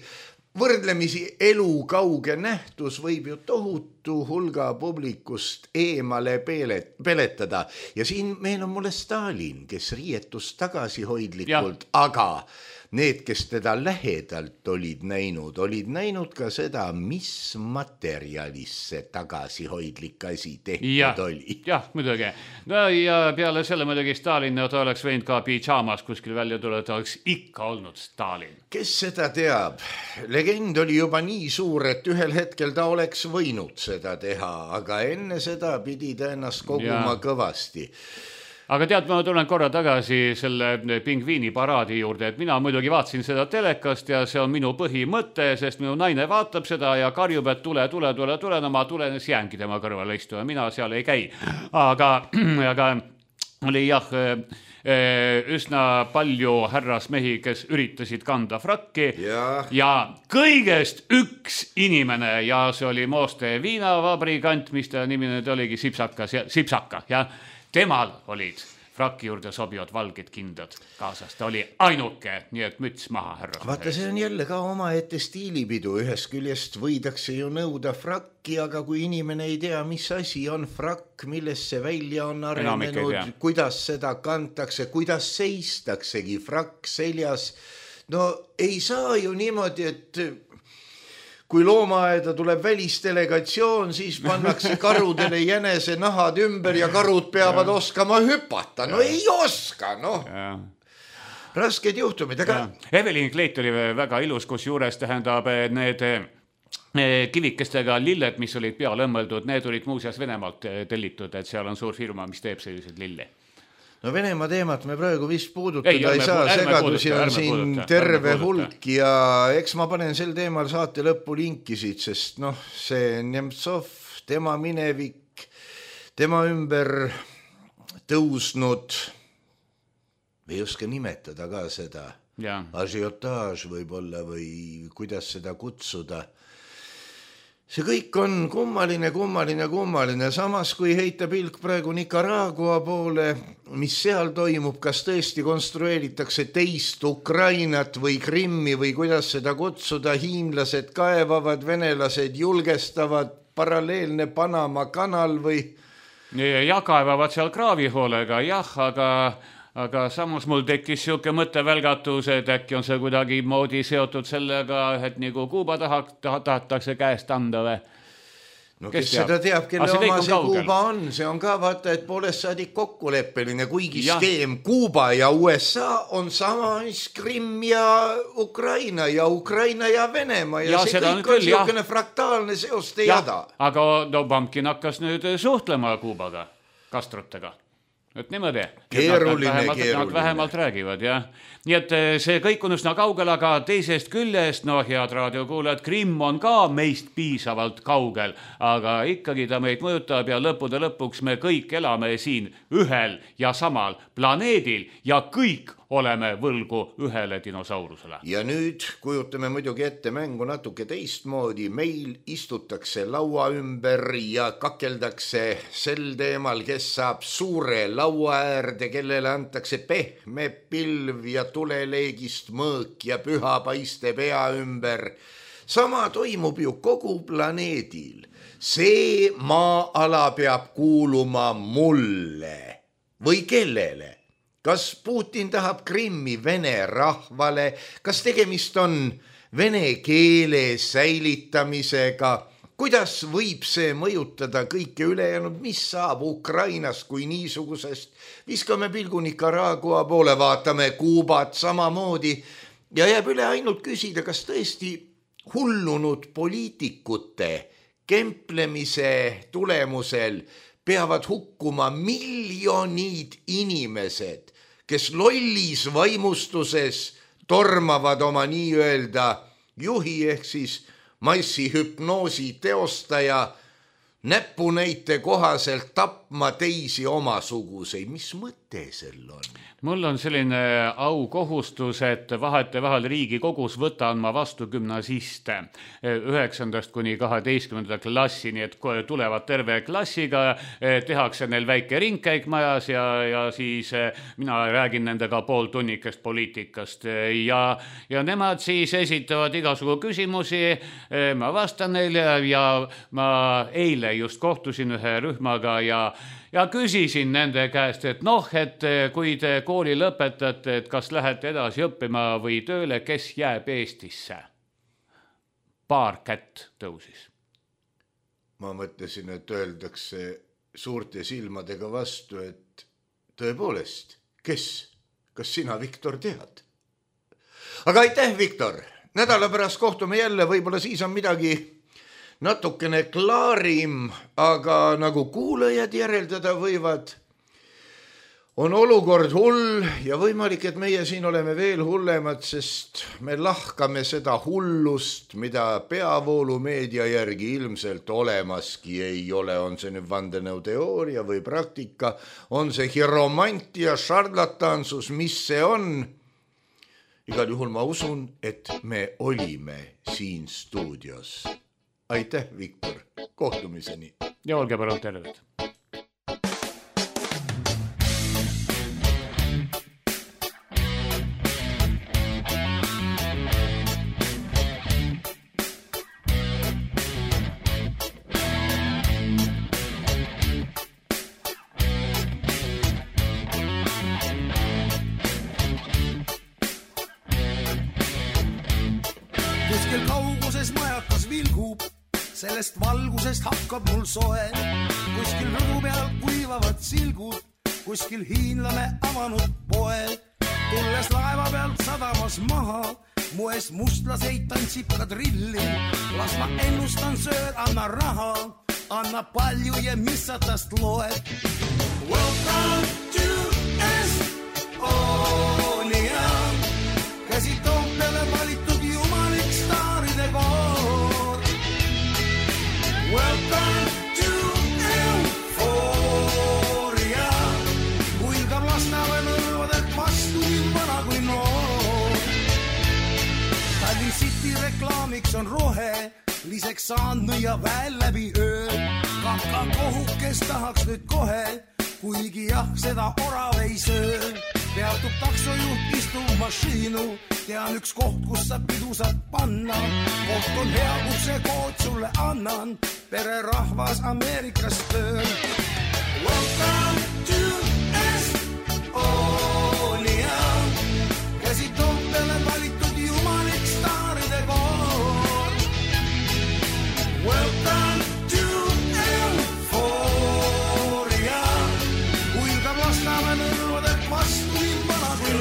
võrdlemisi elukauge nähtus võib ju tohutu hulga publikust eemale peletada. Ja siin meil on mulle Stalin, kes riietus tagasihoidlikult, aga need, kes teda lähedalt olid näinud ka seda, mis materjalis see tagasihoidlik asi tehtud oli. Jah, muidugi. Ja peale selle muidugi Stalin, ta oleks võinud ka pidžaamas kuskil välja tulla, ta oleks ikka olnud Stalin. Kes seda teab? Legend oli juba nii suur, et ühel hetkel ta oleks võinud seda teha, aga enne seda pidi ta ennast koguma kõvasti. Aga tead, ma tulen korra tagasi selle pingviini paraadi juurde, et mina muidugi vaatasin seda telekast ja see on minu põhimõte, sest minu naine vaatab seda ja karjub, et tule, ma tulen, siis jäängi tema kõrvale istuma, mina seal ei käi. Aga oli üsna palju härrasmehi, kes üritasid kanda frakki ja kõigest üks inimene ja see oli Mooste viinavabrikant, mis ta nimi nüüd oligi Sipsaka, ja temal olid frakki juurde sobivad valged kindad kaasas. Ta oli ainuke, nii et müts maha, härra. Vaata, see on jälle ka omaette stiilipidu. Ühest küljest võidakse ju nõuda frakki, aga kui inimene ei tea, mis asi on frakk, millest see välja on arenenud, kuidas seda kantakse, kuidas seistaksegi frakk seljas. No ei saa ju niimoodi, et kui loomaaeda tuleb välisdelegatsioon, siis pannakse karudele jänese nahad ümber ja karud peavad oskama hüpata. No ei oska, noh. Rasked juhtumid, aga... Evelyn Kleit oli väga ilus, kus juures tähendab need kivikestega lilled, mis olid peale õmmeldud, need olid muuseas Venemaalt tellitud, et seal on suur firma, mis teeb sellised lille. No Venemaa teemat me praegu vist puudutada ei saa, segadusi on siin terve hulk ja eks ma panen sel teemal saate lõppu linkisid, sest noh, see Nemtsov, tema minevik, tema ümber tõusnud, ei oska nimetada ka seda, ažiotaaž võib-olla või kuidas seda kutsuda. See kõik on kummaline. Samas kui heita pilk praegu Nicaragua poole, mis seal toimub, kas tõesti konstrueeritakse teist Ukrainat või Krimmi või kuidas seda kutsuda, hiinlased kaevavad, venelased julgestavad, paralleelne Panama kanal või... Ja kaevavad seal kraavihoolega, aga samas mul tekkis siuke mõttevälgatus, et äkki on see kuidagi moodi seotud sellega, et nagu Kuuba tahetakse käest anda või? No kes seda teab, kelle oma see Kuuba on, see on ka vaata, et poolest saadik kokkuleppeline, kuigi skeem Kuuba ja USA on sama Krimm ja Ukraina ja Venemaa ja see kõik on siukene fraktaalne seoste jada. Aga no Pumpkin hakkas nüüd suhtlema Kuubaga, Castrotega. Et niimoodi, nad vähemalt räägivad, jah. Nii et see kõik on üsna kaugel, aga teisest küljest, no head raadiokuulajad, Krimm on ka meist piisavalt kaugel, aga ikkagi ta meid mõjutab ja lõppude lõpuks me kõik elame siin ühel ja samal planeedil ja kõik oleme võlgu ühele dinosaurusele. Ja nüüd kujutame muidugi ette mängu natuke teistmoodi. Meil istutakse laua ümber ja kakeldakse sel teemal, kes saab suure laua äärde, kellele antakse pehme pilv ja tuleleegist mõõk ja püha paiste pea ümber. Sama toimub ju kogu planeedil. See maa-ala peab kuuluma mulle või kellele? Kas Putin tahab Krimmi vene rahvale? Kas tegemist on vene keele säilitamisega? Kuidas võib see mõjutada kõike ülejäänud? Mis saab Ukrainast kui niisugusest? Viskame pilgu Nicaragua poole, vaatame Kuubat samamoodi ja jääb üle ainult küsida, kas tõesti hullunud poliitikute kemplemise tulemusel peavad hukkuma miljonid inimesed, kes lollis vaimustuses tormavad oma nii-öelda juhi ehk siis massihüpnoosi teostaja näpunäite kohaselt tapma teisi omasuguseid. Mis mõte sel on? Mul on selline aukohustus, et vahetevahel Riigikogus võtan ma vastu gümnasiste 9. kuni 12. klassi, nii et tulevad terve klassiga, tehakse neil väike ringkäik majas ja siis mina räägin nendega pooltunnikest poliitikast ja nemad siis esitavad igasugu küsimusi, ma vastan neile ja ma eile just kohtusin ühe rühmaga ja küsisin nende käest, et noh, et kui te kooli lõpetate, et kas lähete edasi õppima või tööle, kes jääb Eestisse? Paar kätt tõusis. Ma mõtlesin, et öeldakse suurte silmadega vastu, et tõepoolest, kes? Kas sina, Viktor, tead? Aga aitäh, Viktor! Nädala pärast kohtume jälle, võib-olla siis on midagi natukene klaarim, aga nagu kuulajad järeldada võivad, on olukord hull ja võimalik, et meie siin oleme veel hullemad, sest me lahkame seda hullust, mida peavoolumeedia järgi ilmselt olemaski ei ole. On see nüüd vandenõuteooria või praktika, on see hiromantia, šarlatansus, mis see on? Igal juhul ma usun, et me olime siin stuudios. Aitäh, Viktor. Kohtumiseni. Ja olge palun terved. vilgub, sellest valgusest hakkab mul soe. Kuskil rõdu peal kuivavad silgud, kuskil hiinlane avanud poe. Tulles laeva pealt sadamas maha, mu eest mustlaseid tantsib kadrilli. Las ma ennustan söör, anna raha, anna palju ja mis sa tast loed. Welcome to Estonia, käsi Toompeale valitud jumalik staaride koor. Welcome to Euphoria, kuilgab Lasnamäe nõlvadelt vastu nii vana kui noor. Tallinn City reklaamiks on rohe, liseks saanud ja väel läbi öö. Kaka kohukes tahaks nüüd kohe, kuigi jah, seda orav ei söö. Peatub taksojuht, istub mašiinu, tean üks koht, kus sa pidu saad panna. Koht on hea, kus see kood sulle annan, pere rahvas Ameerikast tööl. Welcome to Estonia, käsi Toompeale valitud jumalik staaride koor. Welcome to Euphoria, kuilgab Lasnamäe nõlvadelt vastu nii vana kui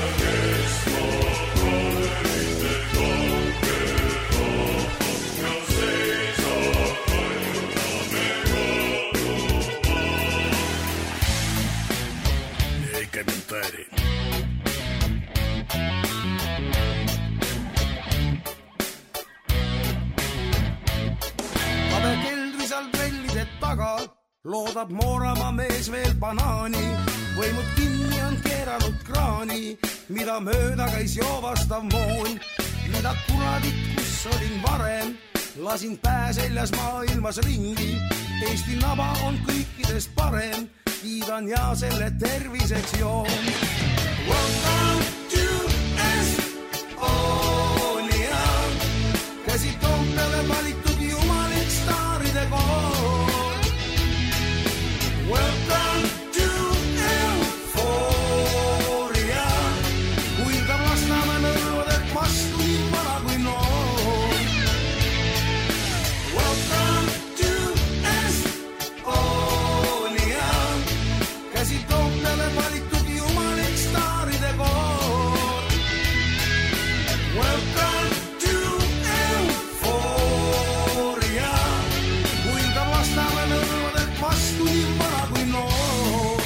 комментарий. Kabe keldris all trellide taga loodab Mooramaa mees veel banaani. Võimud kinni on keeranud kraani, mida mööda käis joovastav moon. Mida kuradit, kus olin varem, lasin pää seljas maailmas ringi. Eesti naba on kõikidest parem, kiidan ja selle terviseks joon. Welcome to Estonia, käsi Toompeale valitud jumalik staaride koor. Welcome to Euphoria, kuilgab Lasnamäe nõlvadelt vastu nii vana kui noor. Welcome to Estonia, käsi Toompeale valitud jumalik staaride koor. Welcome to Euphoria, kuilgab Lasnamäe nõlvadelt vastu nii vana kui noor.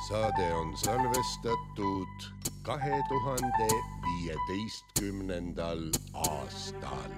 Saade on salvestatud 2015. aastal.